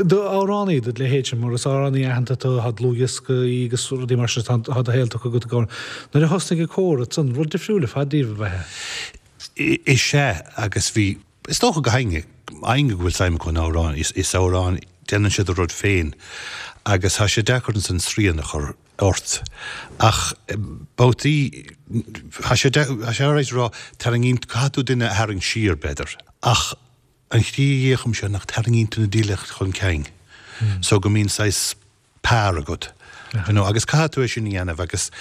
Do amhránaí, do leithéidse, mar is amhránaí aitheanta tú, tá dlúthdhioscaí agus rudaí mar sin, tá do shaol tugtha agat go. Nuair a thosnaigh an cór ansan, rud difriúil ar fad daoibh ab ea? Is ea, agus bhí. Is dócha go héinne, éinne go bhfuil suim acu in amhráin, is amhráin, déanann siad a rud féin agus tá sé deacair ansan srian a chur ort. Ach babhtaí, tá sé, tá sé alright a rá, tarraingíonn, caithfidh tú duine a tharraingt siar, b'fhéidir. Ach an tslí a fhéachaimse nach tarraingíonn tú na daoine chun cinn so go mbíonn saghas, par agat. You know, agus caithfidh tú é sin a dhéanamh agus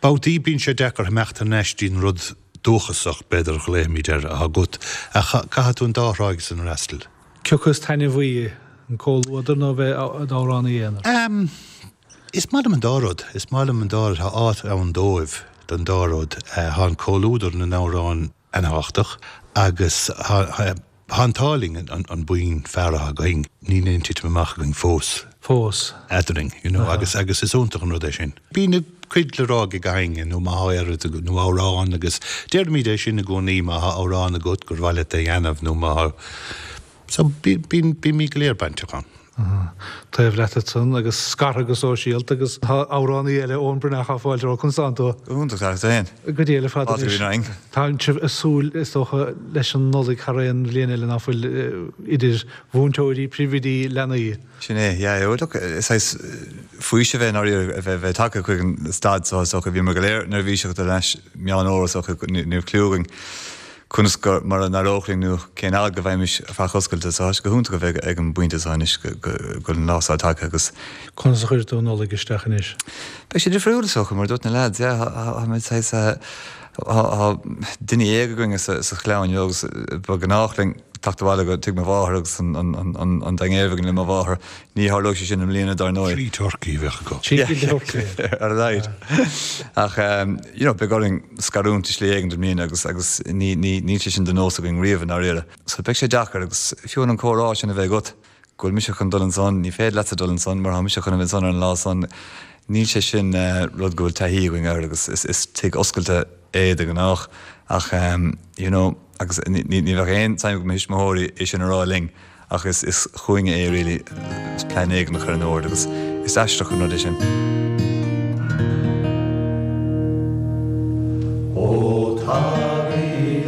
babhtaí bíonn sé deacair imeacht thar n-ais dtí'n rud dúchasach, b'fhéidir a ghlaofaimid air, atá agat, ach caithfidh tú an dá thráigh san a fhreastal. Cé acu is taitneamhaí, an comhluadar nó a bheith i d'amhránaí aonair? Em, is maith liom an dá rud, is maith liom an dá rud, tá áit ann dóibh, don dá rud. Tá an comhluadar na n-amhrán an-thábhachtach agus tá an t-ádh linn an buíon fear atá againn, níl aon titim amach againn fós. Fós. Eadrainn, you know, agus agus is iontach an rud é sin. Bíonn a cuid le rá ag gach éinne nó má tá oiread nó amhrán agus deirimid é sin i gcónaí má tá amhrán agat gur mhaith leat é a dhéanamh nó má tá so bíonn bímid go léir bainteach ann. Taobh leat ansan agus scartha go sóisialta agus tá amhránaí eile, Eoin Breathnach, tá fáilte romhat, conas tánn tú? Go hiontach, tá, féin? Go diail ar fad anois. Tá sibh ag súil, is dócha, leis an Nollaig thar aon bhliain eile ná fuil idir mhúinteoirí, príomhoidí, leanaí. Sin é, yeah. Look, is saghas faoiseamh é i ndáiríre a bheith tagtha chuig an staid so is dócha. Bhíomar go léir neirbhíseach dul leis Meán Fhómhair is dócha, ní raibh cliú againn conas go, mar a n-éireodh linn nó cén fhad go bhfaighimís faic oscailte. So tá sé go hiontach a bheith ag an bpointe seo anois go bhfuil an lá seo tagtha agus. Conas a chuirfidh tú an Nollaig isteach anois? Beidh sé difriúil is dócha, mar a dúirt na leaids, yeah, tá muid saghas, tá duine éag againn sa chlann, you know, agus ba ghnách linn teacht abhaile go tigh mo mháthar agus an dinnéar a bheith againn le mo mháthair. Ní tharlóidh sé sin i mbliana, dar ndóigh. Trí turcaí a bheadh acu. Trí turcaí. Ar a laghad. Ach, you know, beidh orainn scarúint i slí éigin i mbliana agus, agus ní, ní, níl sé sin de nós againn riamh i ndáiríre. So beidh sé deacair agus fiú an comhrá sin a bheith agat, go bhfuil mise chun dul ansan, ní féidir leatsa dul ansan mar tá mise chun a bheith ansan ar an lá san, níl sé sin rud go bhfuil taithí againn air agus is, is tigh oscailte é de ghnách ach, you know. Agus ní bheadh aon tsuim ag mo thuismitheoirí é sin a rá linn ach is is chugainne é really is plean éigin a chur in ord agus is aisteach an rud é sin. Ó tagaigí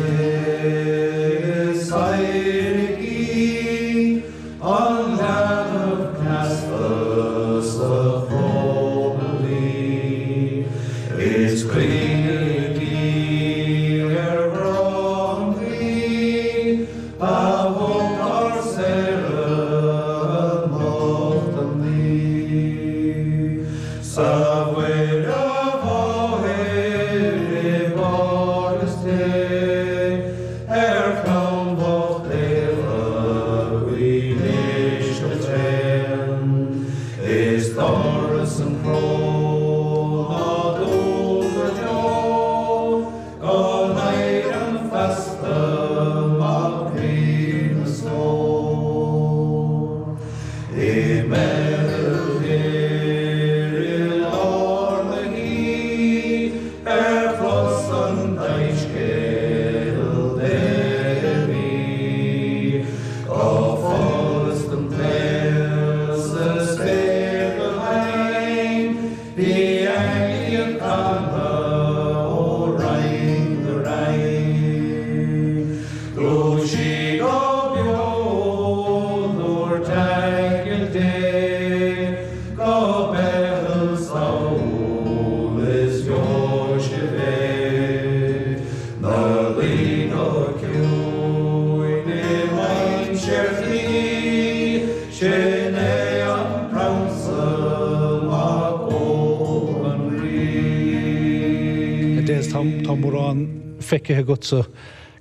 is adhraigí an leanbh cneasta sa chróblaí, is caoinigí ar ghrá an Rí a thug ár saoradh anocht an naoi. Sa Mhuire Mháthair i bPáras Dé. Ar chlann bhocht Éabha guímis go tréan, Is doras an chró ná dún go deo, Go n-éireann feasta Mac Rí na Stór. I mBeithil Thoir i lár na hoíche, Ar chlos an tsoiscéil Dé bhí, Go follas don tsaol sa spéir go hain, Bhí aingil ag canadh ó roinn go roinn. Dúisigh go beo, dúirt aingeal Dé, Go Beithil sall is gheobhaidh sibh é. 'Na luí go ciúin i mainséar tí, Sin é an Prionsa Mac óg an Rí. A Des, tá mórán feicthe agatsa.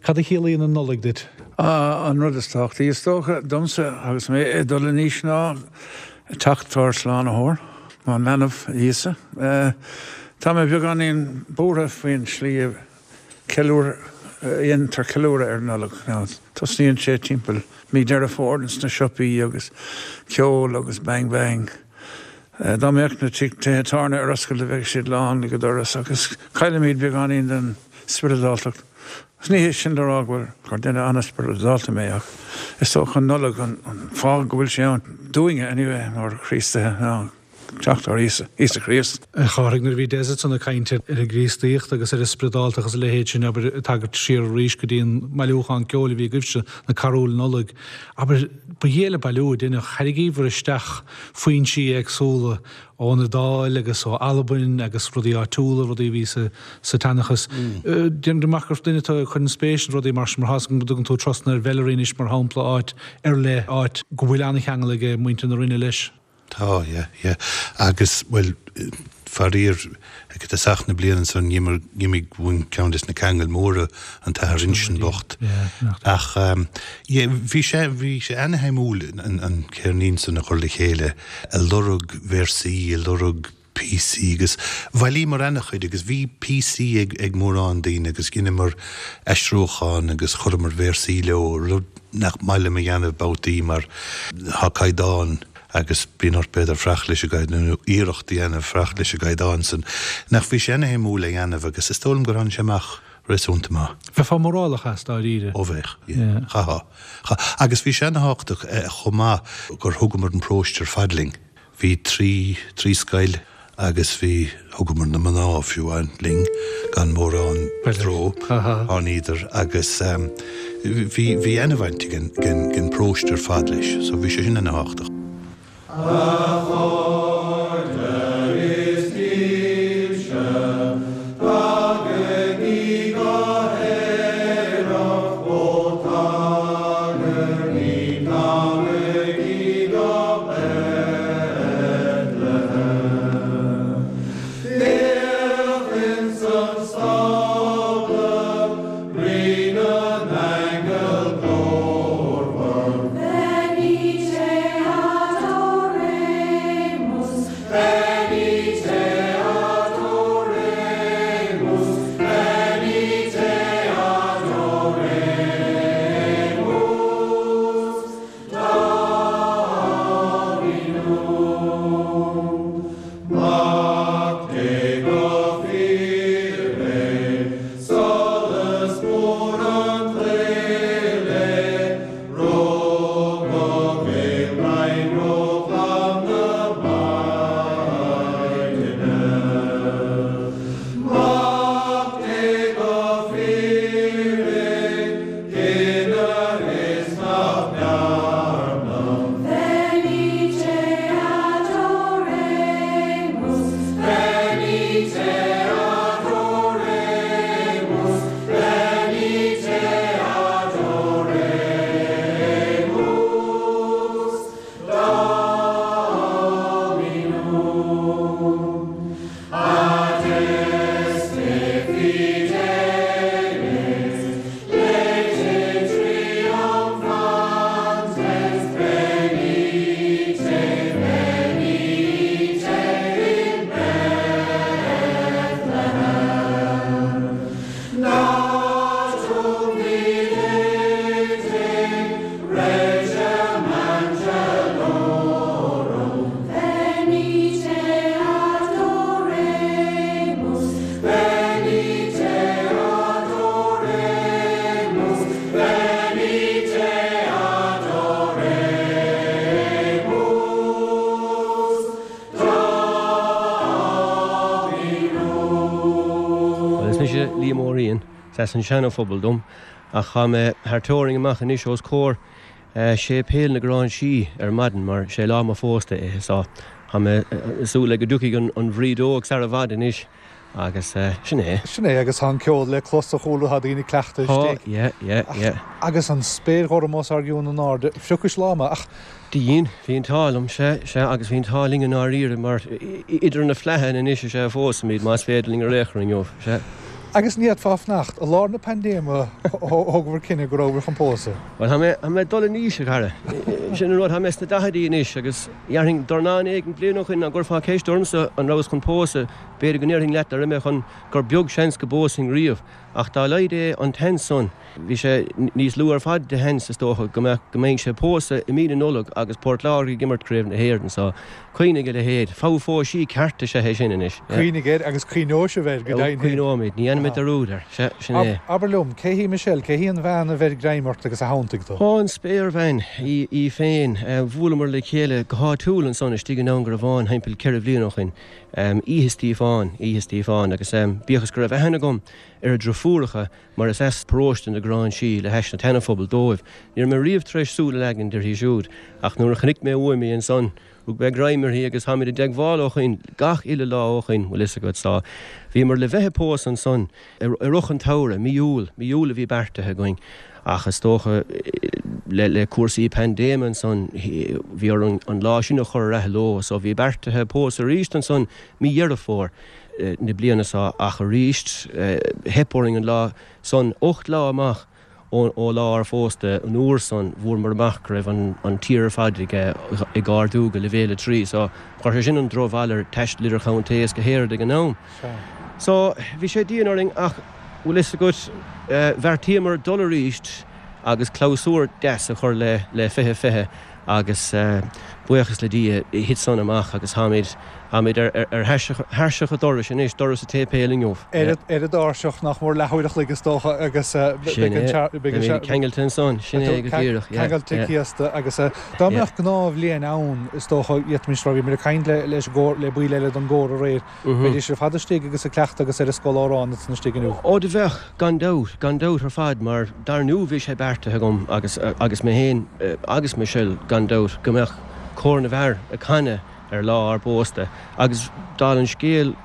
Cad a chiallaíonn an Nollaig duit? An rud is tábhachtaí, is dócha, domsa agus mé ag dul in aois ná teacht ár Slánaitheoir, an leanbh Íosa. Tá mé beagáinín buartha faoin slí a dhéantar ceiliúradh ar an Nollaig. Tosnaíonn sé timpeall mí Deireadh Fómhair sna siopaí agus ceol agus bang bang. Dá mbeadh na tithe tábhairne ar oscailt bheadh siad lán go doras agus caillimid beagáinín den spioradáltacht. Agus ní hé sin le rá go bhfuil, gur duine an-spioradálta mé ach is dócha an Nollaig an fáth go bhfuil sé ann, dúinne anyway, mar Chríostaithe, ná teacht ár Íosa, Íosa Críost. A Chárthaigh, nuair a bhí Des ansan ag caint ar an gCríostaíocht agus ar an spioradáltacht agus a leithéid sin, abair, ag tagairt siar arís go dtí an mbailiúchán ceoil a bhí agaibhse, na carúil Nollag, abair, ba dhiail an bailiú a deineadh, thairrigíobhair isteach foinsí éagsúla ón Iodáil agus ó Albain agus rudaí áitiúla, rudaí a bhí sa tseanchas. Déanaim amach gur duine tú a chuireann spéis in rudaí mar sin, mar tá's agam go dtugann tú turasanna ar Mheilearaí anois, mar shampla, áit ar leith, áit go bhfuil an-cheangal ag muintir na Rinne leis. Tá, yeah, yeah. Agus, bhuel, faraor, ag tosach na bliana ansan, d'imigh uainn ceann des na ceangail mhóra, an tAthair Uinseann bocht. Ach, yeah, bhí sé, bhí sé ana-shuimiúil an ceirnín san a chur le chéile, ag lorg véarsaí, ag lorg píosaí agus bhailíomar ana-chuid agus bhí píosaí ag, ag mórán daoine agus dheineamar aistriúchán agus chuireamar véarsaí leo, rud nach maith liom a dhéanamh babhtaí mar tá caighdeán agus bíonn ort b'fhéidir fanacht leis an gcaighdeán nó iarracht a dhéanamh fanacht leis an gcaighdeán san. Ach bhí sé ana-shuimiúil a dhéanamh agus is dóigh liom gur tháinig sé amach réasúnta maith. Bheifeá mórálach as, dáiríre. Ó bheadh, yeah. Chaithfeá. Chaithfeá. Agus bhí sé ana-thábhachtach chomh maith gur thugamar an paróiste ar fad linn. Bhí tri, trí scoil agus bhí, thugamar na mná fiú amháin linn gan mórán stró, tháiníodar agus bhí, bhí ana-bhaint ag an, ag an bparóiste ar fad leis so bhí sé sin ana-thábhachtach. A chairde is dílse, tagaigí go haerach, ó tagaigí, tagaigí go Bethlehem. Féach ins an stábla, Rí na n-aingeal glórmhar. Venite adoremus. Bhuel, is mise Liam Ó Riain, is as an Seana-Phobal dom, ach tá mé thar teorainn amach anois os comhair Séipéal na Gráinsí ar maidin mar sé lá mo phósta é so tá mé ag súil le go dtiocfaidh an bhrídeog sar i bhfad anois agus sin é. Sin é agus tá an ceol le clos a chúlra, tá daoine ag cleachtadh istigh. Tá, yeah, yeah, yeah. Agus an spéir ghorm os ár gcionn in airde, phriocais láma ach. Do dhein, bhí an t-ádh liom, sea, sea, agus bhí an t-ádh linn i ndáiríre mar idir na flathanna anois is ea a phósaimid, más féidir linn ar aon chor inniu, sea. Agus ní fhéadfá fanacht, i lár na paindéime thógabhair cinneadh go rabhabhair chun pósadh. Bhuel, tá mé, tá mé ag dul in aois, a chara. Sin an rud, tá mé sna daichidí anois agus dhéarfainn dornán éigin bliain ó shoin dá gcuirfeá ceist ormsa an rabhas chun pósadh, b'fhéidir go ndéarfainn leat nach raibh mé chun, gur beag seans go bpósfainn riamh. Ach dá laghad é an tseans san, bhí sé níos lú ar fad de sheans, is dócha, go mbeadh, go mbeinnse ag pósadh i mí na Nollag agus Port Láirge ag imirt Craobh na hÉireann. So, cuimhnigh a leithéid. Fogha phósadh ceart is ea é sin anois. Cuimhnigh air agus cuimhneoidh sibh air, go deimhin. Cuimhneoimid. Ní dhéanfaimid dearúd air. Sea, sin é. Abair liom, cé hí Michelle? Cé hí an bhean a bheir greim ort agus a shantaigh tú? Ó, an spéirbhean í, í féin. Bhuaileamar le chéile go háitiúil ansan istigh i nDún Garbhán thimpeall ceithre bhliain ó shoin. Oíche Stíofáin, Oíche Stíofáin, agus bíodh is go raibh aithne agam ar a driofúracha, mar is as paróiste na Gráinsí le hais na tSeana-Phobail dóibh, ní raibh mé riamh tar éis súil a leagaint uirthi siúd, ach nuair a chonaic mé uaim í ansan, rug mé greim uirthi agus táimid i dteagmháil ó shoin, gach uile lá ó shoin, bhfuil fhios agat, so bhíomar le bheith ag pósadh ansan i rith an tsamhraidh, mí Iúil, mí Iúil a bhí beartaithe againn, ach is dócha le cúrsaí paindéime ansan, bhí orainn an lá sin a chur ar athló, so bhí beartaithe pósadh arís ansan mí Dheireadh Fómhair na bliana seo, ach arís theip orainn an lá san, 8 lá amach ó lá ár phósta, an uair san bhfuaireamar amach go raibh an tír ar fad ag ardú go leibhéal 3, so chuir sé sin an drochbhail ar taisteal idir chontae is go háirid ag an am. So bhí sé dian orainn ach bhfuil fhios agat, bheartaíomar dul arís agus clabhsúr deas a chur le 2020 agus buíochas le Dia thit san amach agus táimid táimid ar ar thairseach an dorais anois, doras an tséipéil inniu. Ar an dtairseach nach mór leathuair a chloig is dócha agus beidh an beidh an ceangailte ansan, sin é go díreach, yeah. Ceangailte cíosta agus dá mbeadh gnáthbhliain ann is dócha d'fhéadfaimis rá, bhíomar ag caint le leis an gcór, le baill eile den gcór aréir, Bheidís ar fad istigh agus ag cleachtadh agus ar an scoil amhrán ansan istigh inniu. Ó do bheadh, gan dabht, gan dabht ar fad, mar dar ndú bhí sé beartaithe agam agus, agus mé féin agus Michelle gan dabht, go mbeadh cór na bhfear ag canadh ar lá ár bpósta. Agus dála an scéil,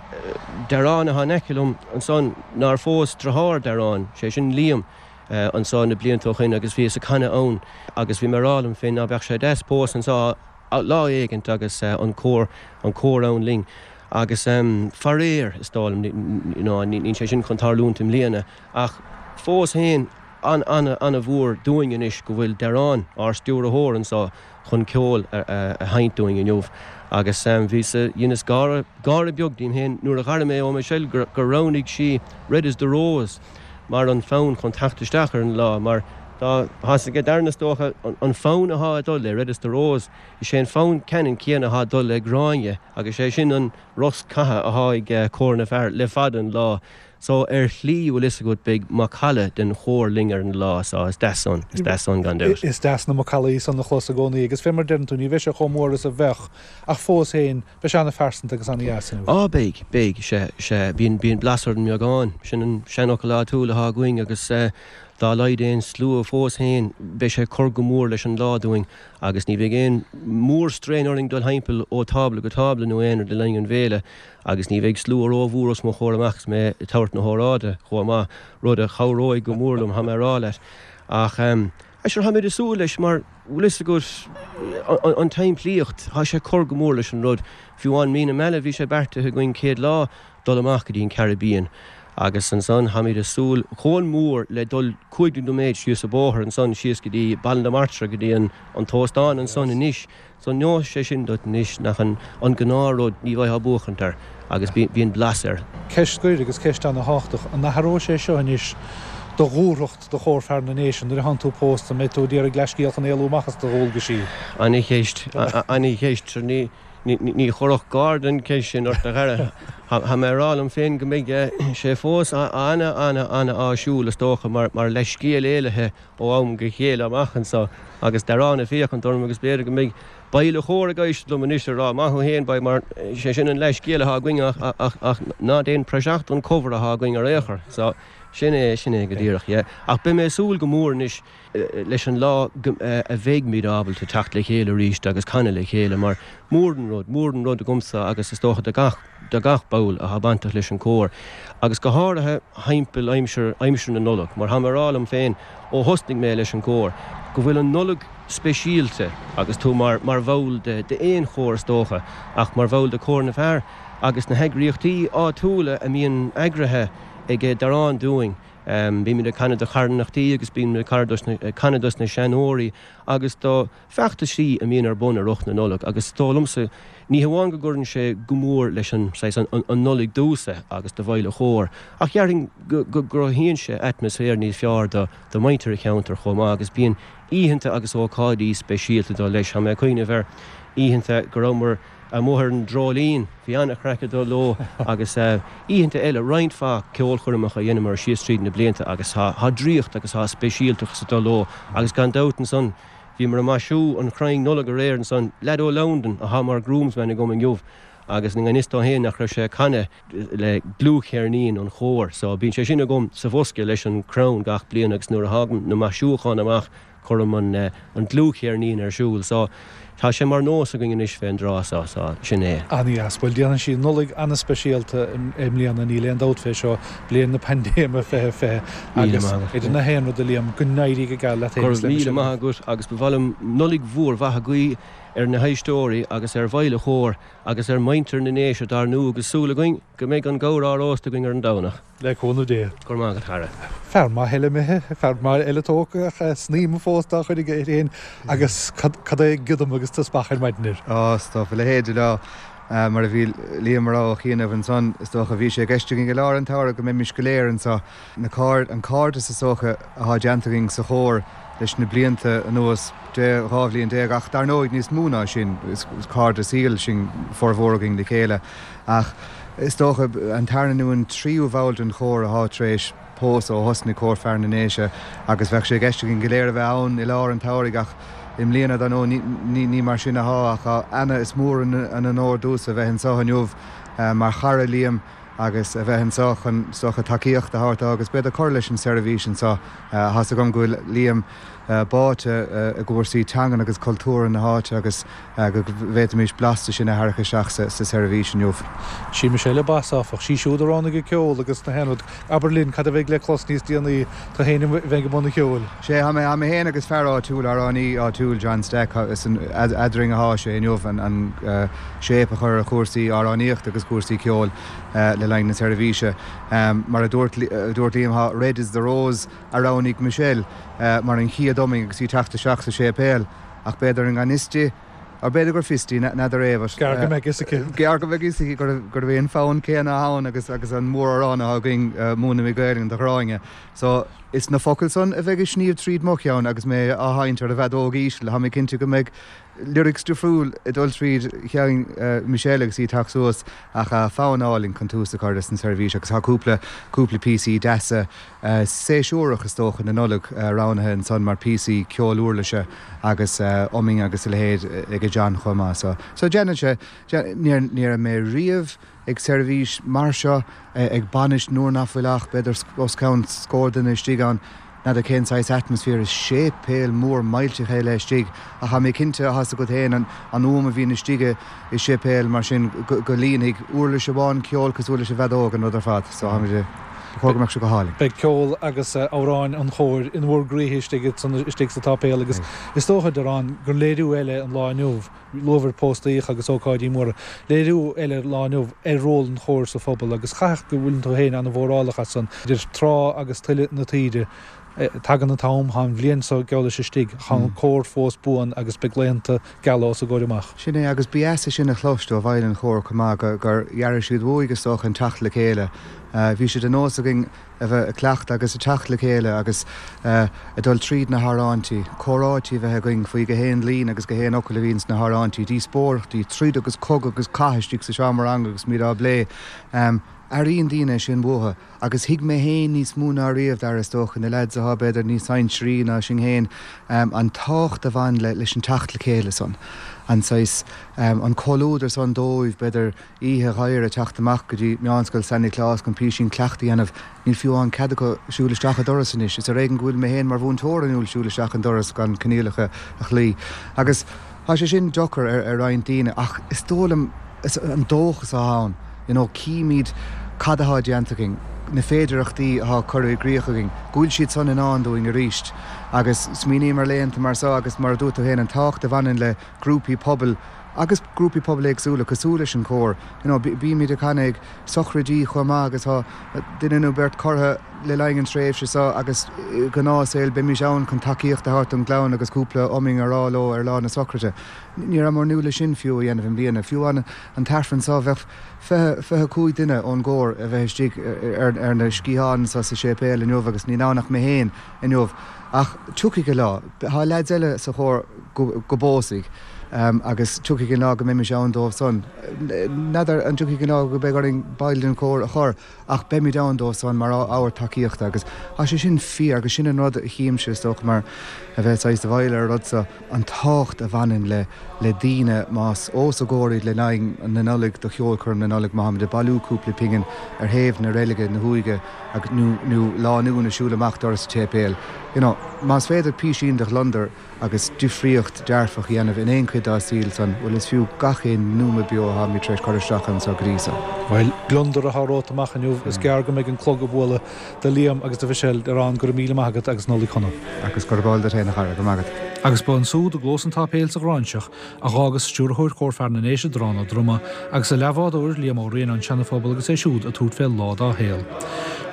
Darán atá in aice liom ansan nár phós deartháir Darán, sé sin Liam, anso na blianta ó shoin agus bhíos ag canadh ann agus bhí mé ag rá liom féin ná beadh sé deas pósadh anso lá éigint agus an cór, an cór ann linn. Agus faraor, is dóigh liom, you know, níl sé sin chun tarlúint i mbliana, ach fós féin, an-an-an-mhór dúinn anois go bhfuil Darán, ár stiúrthóir anso, chun ceol a sheinnt dúinn inniu. Agus bhíos, dheineas gáire, gáire beag díom féin nuair a dh'airigh mé ó Michelle gur roghnaigh sí Red is the Rose mar an fonn chun teacht isteach ar an lá, mar tá, tá's aige Darren is dócha, an fonn athá ag dul le Red is the Rose, is é an fonn ceannann céanna athá ag dul le Gráinne agus sé sin an rosc catha athá ag Cór na bhFear le fada an lá. So ar shlí, bhfuil fhios agat, beidh macalla den chór linn ar an lá so is deas san, is deas san gan dabht. Is deas na macallaí san a chlos i gcónaí agus fé mar deireann tú, ní bheidh sé chomh mór is a bheadh ach fós féin, Beidh sé ana-phearsanta agus ana-dheas inniu. Á beidh, beidh, sea, sea, bíonn, bíonn blas ar an mbeagán, sin an seanfhocal áitiúil athá againn agus eh. Dá laghad é an slua fós féin, beidh sé ag cur go mór leis an lá dúinn agus ní bheidh aon mhór-strain orainn dul thimpeall ó tábla go tábla nó aon rud le linn an bhéile agus ní bheidh slua rómhór os mo chomhair amach is mé ag tabhairt na hóráide chomh maith, rud a chabhróidh go mór liom, tá mé a rá leat. Ach sure, táimid ag súil leis mar, bhfuil fhios agat, an tsimplíocht, tá sé ag cur go mór leis an rud. Fiú amháin mí na Meala bhí sé beartaithe againn céad lá dul amach go dtí an Caribbean agus ansan táimid ag súil chomh mór le dul 15 nóiméad síos an bóthar ansan síos go dtí Baile na Martra go dtí an an t-óstán ansan anois so neosfaidh sé sin duit anois nach an an gnáth rud ní bheifeá ag buachaint air agus bíonn blas air. Ceist scoir agus ceist ana thábhachtach, an athróidh sé seo anois do dhúthracht do Chór Fear na nDéise nuair a thánn tú pósta, an mbeidh tú ag iarraidh leathscéal chun éalú amach as do dhualgaisí? Ana cheist, ana cheist. Ní Ní chuirfeadh gar den cheist sin ort, a chara. Tá mé ag rá liom féin go mbeidh sé fós ana, ana, ana áisiúil, is dócha, mar leithscéal éalaithe ó am go chéile amach anso agus dearán ag féachaint orm agus b'fhéidir go mbeidh baill an chóir ag éisteacht liom anois ag rá, maith thú féin, boy, mar sé sin an leithscéal atá againn ach, ach, ach ná déan praiseach don cover atá againn ar aon chor. So, sin é, sin é go díreach, yeah. Ach beidh mé ag súil go mór anois leis an lá a bheidhmid ábalta teacht le chéile arís agus canadh le chéile mar mór an rud, mór an rud agamsa agus is dócha do gach, do gach ball atá bainteach leis an gcór agus go háirithe thimpeall aimsir, aimsir na Nollag mar tá mé ag rá liom féin ó thosnaigh mé leis an gcór go bhfuil an Nollaig speisialta agus tú mar, mar bhall de, d'aon chór is dócha ach mar bhall de Chór na bhFear agus na heagraíochtaí áitiúla a mbíonn eagraithe ag Darán dúinn. Bímid ag canadh do charthanachtaí agus bímid ag canadh dos na seanóirí agus do feachtaisí a mbíonn ar bun i rith na Nollag agus is dóigh liomsa ní hamháin go gcuireann sé go mór leis an, saghas, an Nollaig domhsa agus do bhaill an chóir ach dhéarfainn go gcruthaíonn sé atmaisféar níos fearr do mhuintir an cheantair chomh maith agus bíonn oícheanta agus ócáidí speisialta ag dul leis. Tá mé ag cuimhneamh ar oícheanta go rabhamar amuigh ar an Dreoilín, bhí an-chraic ag dul leo agus oícheanta eile, roinnt mhaith ceolchoirmeacha a dheineamar síos tríd na blianta agus tá draíocht agus tá speisialtachas ag dul leo agus gan dabht ansan bhíomar ag maisiú an chrainn Nollag aréir ansan, leaid ó Londain atá mar groomsman agam inniu agus i ngan fhios dó féin nach raibh sé ag canadh le dlúthcheirnín an chóir so bíonn sé sin agam sa bhosca leis an crann gach bliain agus nuair a thagann na maisiúcháin amach Cuirim an dlúthcheirnín ar siúl so tá sé mar nós againn anois fén dtráth so, so sin é. Ana-dheas. Bhuel, déanfaidh sí Nollaig ana-speisialta i mbliana, níl aon dabht fé seo, bliain na paindéime 2020 agus idir na haon rud a Liam, go n-éirí go geal leat féin agus le Go raibh míle maith agat agus ba mhaith liom Nollaig mhór mhaith a ghuí ar na héisteoirí agus ar bhaill an chóir agus ar mhuintir na nDéise dar ndú agus súil againn go mbeidh an gabhar á róstadh againn ar an Domhnach. Le cúnamh Dé. Go raibh maith agat, a chara. Fear maith eile imithe, fear maith eile tógtha ach snaidhm fós dá chuid aige air féin agus cad é giodam agus teaspach ar maidin air. Á, is dócha, a leithéid de lá mar a bhí Liam a rá ó chianaibh ansan, is dócha, bhí sé i gceist againn i lár an tsamhraidh go mbeimis go léir anso. Na cairde, an cairdeas is dócha athá déanta againn sa chór leis na blianta anuas, 12 bhliain ach dar ndóigh níos mó ná sin, is cairde saoil sinn formhór againn le chéile. Ach is dócha, an tarna nó an tríú bhall den chór athá tar éis pósadh ó thosnaigh Cór Fear na nDéise agus bheadh sé i gceist againn go léir a bheith ann i lár an tsamhraidh ach i mbliana, dar ndóigh, ní mar sin athá ach ana, is mór an onóir domhsa a bheith anso inniu mar chara Liam agus a bheith anso chun, is dócha, tacaíocht a thabhairt dó agus b'fhéidir cur leis an seirbhís anso. Tá's agam go bhfuil Liam báite i gcúrsaí teangan agus cultúrtha na háite agus go bhféadfaimis blas de sin a tharrac isteach sa seirbhís inniu. Sí Michelle an bas, áfach. Sí siúd a roghnaigh an ceol agus na haon rud. Abair linn, cad a bheidh le clos níos déanaí, tú féin a bheidh i mbun an cheoil? Sé, tá mé, tá mé féin agus fear áitiúil, amhránaí áitiúil, John Stack, is eadrainn athá sé inniu an shape a chur ar chúrsaí amhránaíochta agus cúrsaí ceoil le linn na seirbhíse. Mar a dúirt Liam, tá Red is the Rose a roghnaigh Michelle mar an chéad iomainn agus í ag teacht isteach sa séipéal. Ach b'fhéidir i ngan fhios di, or b'fhéidir gur fios di, n'fheadar é, but. Gearr go mbeidh fhios aici. Gearr go mbeidh fhios aici gurbh é an fonn céanna atá ann agus agus an móramhrán atá againn, Múineadh Mé Gaelainn do Ghráinne. So, is na focail san a bheidh ag sníomh tríd mo cheann agus mé á sheinnt ar an bhfeadóg íseal. Tá mé cinnte go mbeidh lyrics difriúil ag dul tríd cheann Michelle agus í ag teacht suas ach fonn álainn chun tús a chur leis an seirbhís agus tá cúpla, cúpla píosaí deasa séasúrach is dócha na Nollag roghnaithe ansan mar píosaí ceoil uirlise agus iomainn agus a leithéid ag John chomh maith. So, so déanann sé, ní, ní raibh mé riamh ag seirbhís mar seo, ag bainis nuair nach bhfuil ach b'fhéidir os cionn scór duine istigh ann. N'fheadar cén saghas atmaisféar is séipéal mór millteach é le istigh ach tá mé cinnte, tá 's agat féin, an fhuaim a bhíonn istigh i séipéal mar sin go líonfaidh uirlis amháin ceoil cosúil leis an bhfeadóg an rud ar fad. So táimid ag, ba chóir go mbeadh sé go hálainn. Beidh ceol agus amhráin an chóir in bhur gcroíthe istigh sa tsáipéal agus is dócha, Diarán, gur léiriú eile an lá inniu, luabhair póstaíoch agus ócáidí móra, léiriú eile an lá inniu ar ról an chóir sa phobal agus chaithfeadh go bhfuileann tú féin an-mhórálach as san, idir trá agus tuile na taoide. Tagann an t-am, tá an bhliain seo geall leis istigh, tá an cór fós buan agus beidh laethanta geala os a gcomhair amach. Sin é, agus ba dheas é sin a chloist ó bhaill an chóir chomh maith, gur dh'airigh siad uaidh, is dócha, an teacht le chéile. Bhí sé de nós againn a bheith ag cleachtadh agus ag teacht le chéile agus ag dul tríd na hamhráintí, comhráití a bheith againn faoi gach aon líne agus gach aon fhocal a bhíonn sna hamhráintí, díospóireachtaí, troid agus cogadh agus cath istigh sa seomra ranga agus muid á bplé. Airíonn daoine é sin uathu. Agus thuig mé féin níos mó ná riamh, Dara, is dócha, na leaids atá b'fhéidir níos sinsearaí ná sinn féin, an tábhacht a bhain le, leis an teacht le chéile san, an saghas, an comhluadar san dóibh, b'fhéidir, oíche gheimhridh teacht amach go dtí Meánscoil San Nioclás chun písín cleachtaidh a dhéanamh, níl fiú amháin cead acu siúl isteach an doras anois. Is ar éigean go bhfuil mé féin mar mhúinteoir inniúil siúl isteach an doras gan coinníollacha a chloí. Agus tá sé sin deacair ar, ar roinnt daoine ach is dóigh liom, is an dóchas atá ann, you know, címid cad atá déanta againn, na féidearthachtaí atá curtha i gcrích againn, go bhfuil siad san i ndán dúinn arís. Agus smaoiním ar laethanta mar seo agus mar a dúirt tú féin, an tábhacht a bhaineann le grúpaí pobail agus grúpaí pobail éagsúla cosúil leis an chór, you know, bímid ag canadh ag sochraidí chomh maith agus tá duine nó beirt curtha le linn an tréimhse seo agus i ngnáthshaol beimis ann chun tacaíocht a thabhairt don gclann agus cúpla iomainn a rá leo ar lá na sochraide. Ní rabhamar inniúil leis sin fiú a dhéanamh i mbliana. Fiú an an t-aifreann seo, bheadh 20, 25 duine ón gcór a bheith istigh ar na sciatháin anseo sa séipéal inniu agus níl ann ach mé féin inniu. Ach tiocfaidh an lá. Tá leaids eile sa chór go bpósfaidh agus tiocfaidh an lá go mbeimis ann dóibh san. N'fheadar an dtiocfaidh an lá go mbeidh orainn baill den chór a chur ach beimid ann dóibh san mar ábhar tacaíochta agus tá sé sin fíor agus sin an rud a chímse is dócha mar a bheith saghas i bhfeighil ar an rud seo, an tábhacht a bhaineann le le daoine más os a gcomhair iad le linn na Nollag do cheolchoirm na Nollag má tháimid ag bailiú cúpla pingin ar thaobh na reilige na huaighe agus nó nó lánúin ag siúl amach doras an tséipéil you know más féidir písín de ghliondar agus difríocht dearfach a dhéanamh in aon chuid dá saol san, bhuel, is fiú gach aon nóiméad beo atáimid tar éis cur isteach anso go dtí so. Bhuel, gliondar atá romhat amach inniu. Is gearr go mbeidh an clog ag bualadh do Liam agus do Mhichelle. Diarán, go raibh míle maith agat agus Nollaig Shona. Agus gurb áil duit féin, a chara. Go raibh maith agat. Agus ba ansúd i gclós an tsáipéil sa Ghráinseach a dh'fhágas Stiúrthóir Chór Fear na nDéise, Diarán Ó Droma, agus a leathbhádóir, Liam Ó Riain ón Seana-Phobal agus é siúd ag tabhairt fé lá dá shaol.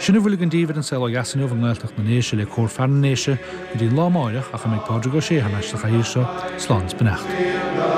Sin a bhfuil againn daoibh ar An Saol Ó Dheas inniu i nGaeltacht na nDéise le Cór Fear na nDéise go dtí an lá amáireach ach a mbeidh Pádraig Ó Sé thar n-ais sa chathaoir seo, slán is beannacht.